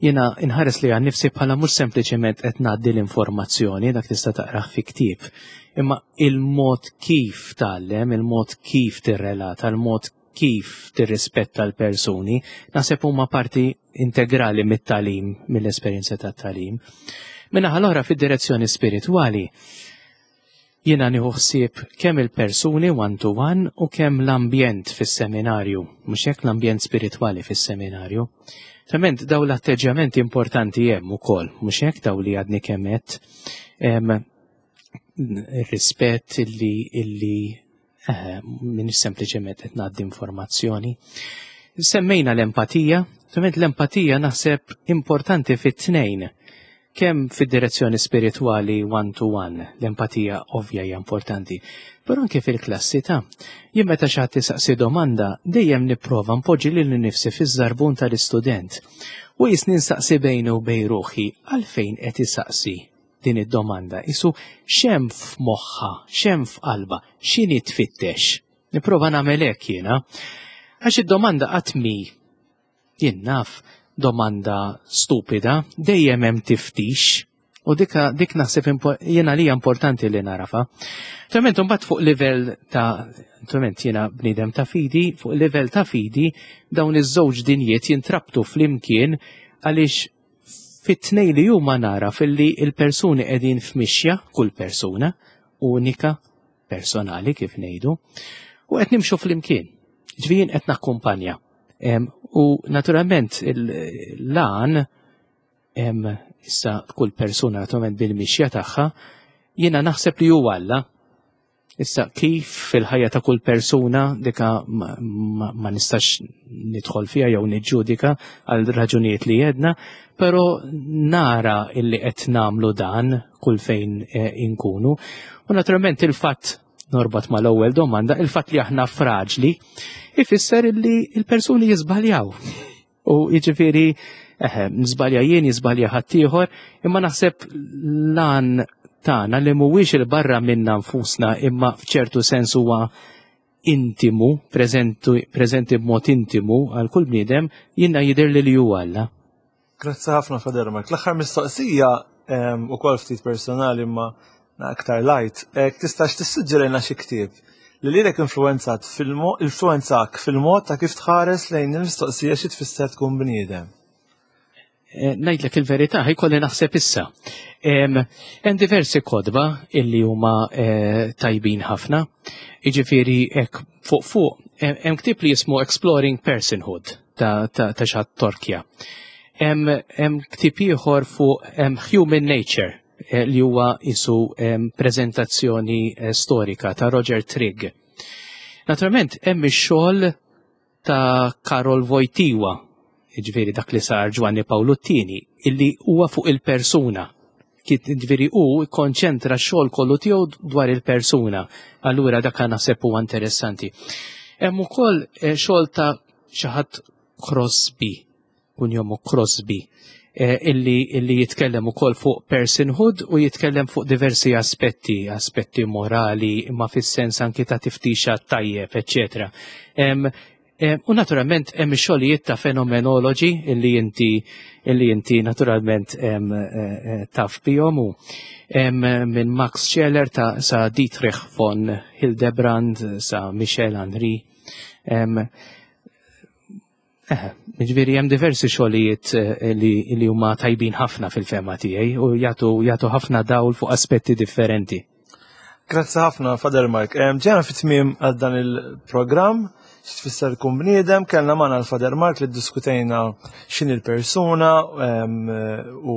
jiena inħares li għan nifsi bħala mhux sempliċement qed ngħaddi l-informazzjoni, dak tista' taqrah fi ktieb, imma il-mod kif tgħallem, il-mod kif tirrelata, il-mod kif tirrispetta l-persuni, naħseb huma parti integrali mit-tagħlim, mill-esperjenza tat-tagħlim. Min-naħa l-oħra, fid-direzzjoni spiritwali, jiena nieħu ħsieb kemm il-persuni one to one u kemm l-ambjent fis-seminarju, mhux hekk, l-ambjent spiritwali fis-seminarju. Tament daw l-atteġġjamenti importanti hemm ukoll, mhux hekk, daw li għadni kemm għedt. Ir-rispett illi illi eh, minn sempliċement qed ngħaddi informazzjoni. Semmejna l-empatija, tament l-empatija naħseb importanti fit-tnejn, kemm fid-direzzjoni spiritwali one to one, l-empatija ovvja hija importanti, però anke fil-klassi ta' jien meta xi ħadd isaqsi domanda, dejjem nipprova npoġġi lil nifsi fiż-żarbun tal-istudent. U jisni nsaqsi bejni u bejn ruħi għalfejn qed isaqsi din id-domanda. Isu x'hemm f'moħħha, x'hemm f'qalba, x'inhi tfittex? Nipprova nagħmel hekk jiena. Għax id-domanda qatt mi jien naf domanda stupida, dejjem hemm tiftix. U dika dik naħseb jiena li importanti li narafa. Naturalment imbagħad fuq livell ta' naturalment jiena bniedem ta' fidi, fuq livell ta' fidi dawn iż-żewġ dinjiet jintrabtu flimkien, għaliex fit-tnej li huma nara filli il-persuni qegħdin f'mixja, kull persuna unika, personali kif ngħidu, u qed nimxu flimkien. Ġifieri qed nakkumpanja. U naturalment l-għan issa kull persuna naturalment bil-mixja tagħha, jiena naħseb li huwa Alla. Issa kif fil-ħajja ta' kull persuna, dika ma, ma, ma nistax nidħol fiha jew niġġudika għal raġunijiet li jedna, però nara illi qed nagħmlu dan kull fejn eh, inkunu. U naturalment il-fatt, norbot mal-ewwel domanda, il-fatt li aħna fraġli ifisser illi il-persuni jiżbaljaw. U jiġifieri eħe, nżbalja jien, jiżbalja ħaddieħor, imma naħseb lan tagħna li mhuwiex il-barra minna nfusna, imma f'ċertu sens huwa intimu, preżenti b'mod intimu għal kull bniedem, jiena jidher li li huwa Alla. Grazzi ħafna, Father Mark. L-aħħar mistoqsija ukoll ftit personali imma aktar light. Tistax tissuġġerina xi ktieb li lilek influenzat influenzak fil-mod ta' kif tħares lejn il-mistoqsija xi tfisser tkun bniedem? Eh, ngħidlek il-verità, ħa jkolli naħseb issa. Hemm diversi kotba illi huma eh, tajbin ħafna. Jiġifieri hekk fuq fuq hemm ktieb li jismu Exploring Personhood ta' ta' ta' xi ħadd Torkja. Hemm ktieb ieħor fuq Human Nature eh, li huwa isu prezentazzjoni storika ta' Roger Trigg. Naturalment hemm ix-xogħol ta' Karol Wojtyła, ġifieri dak li sar Ġwanni Pawlu t-Tieni, illi huwa fuq il-persuna. Ġifieri hu konċentra x-xogħol kollu tiegħu dwar il-persuna. Allura dak naħseb huwa interessanti. Hemm ukoll eh, xogħol ta' xi ħadd Crosby, kunjomu Crosby, eh, illi, illi jitkellem ukoll fuq personhood u jitkellem fuq diversi aspetti, aspetti morali, imma fis-sens anki ta' tiftixa tajjeb, eccetera. U naturalment hemm ix-xogħlijiet ta' fenomenologi illi inti illi inti naturalment eh, eh, taf bihom u minn Max Scheler ta' sa Dietrich von Hildebrand sa Michel Henry. Eh, ġifieri hemm diversi xogħlijiet li, li huma tajbin ħafna fil-fehma tiegħi u jagħtu jagħtu ħafna dawl fuq aspetti differenti. Grazzi ħafna, Father Mark. Ġejna fit-tmiem għal dan il-programm, x'tfisser tkun bniedem, kellna magħna l-Father Mark li diskutejna x'inhi l-persuna u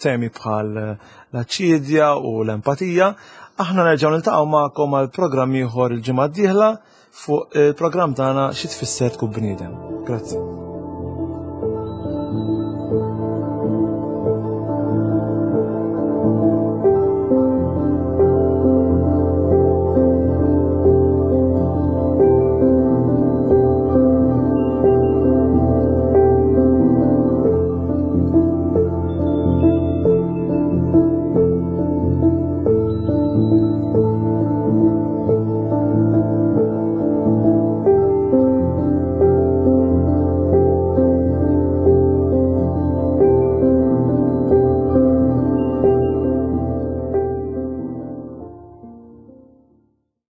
temi bħal l-aċidja u l-empatija. Aħna nerġgħu niltaqgħu magħkom għal programm ieħor il-ġimgħa d-dieħla fuq il-programm tagħna xi tfisser tkun bniedem. Grazzi.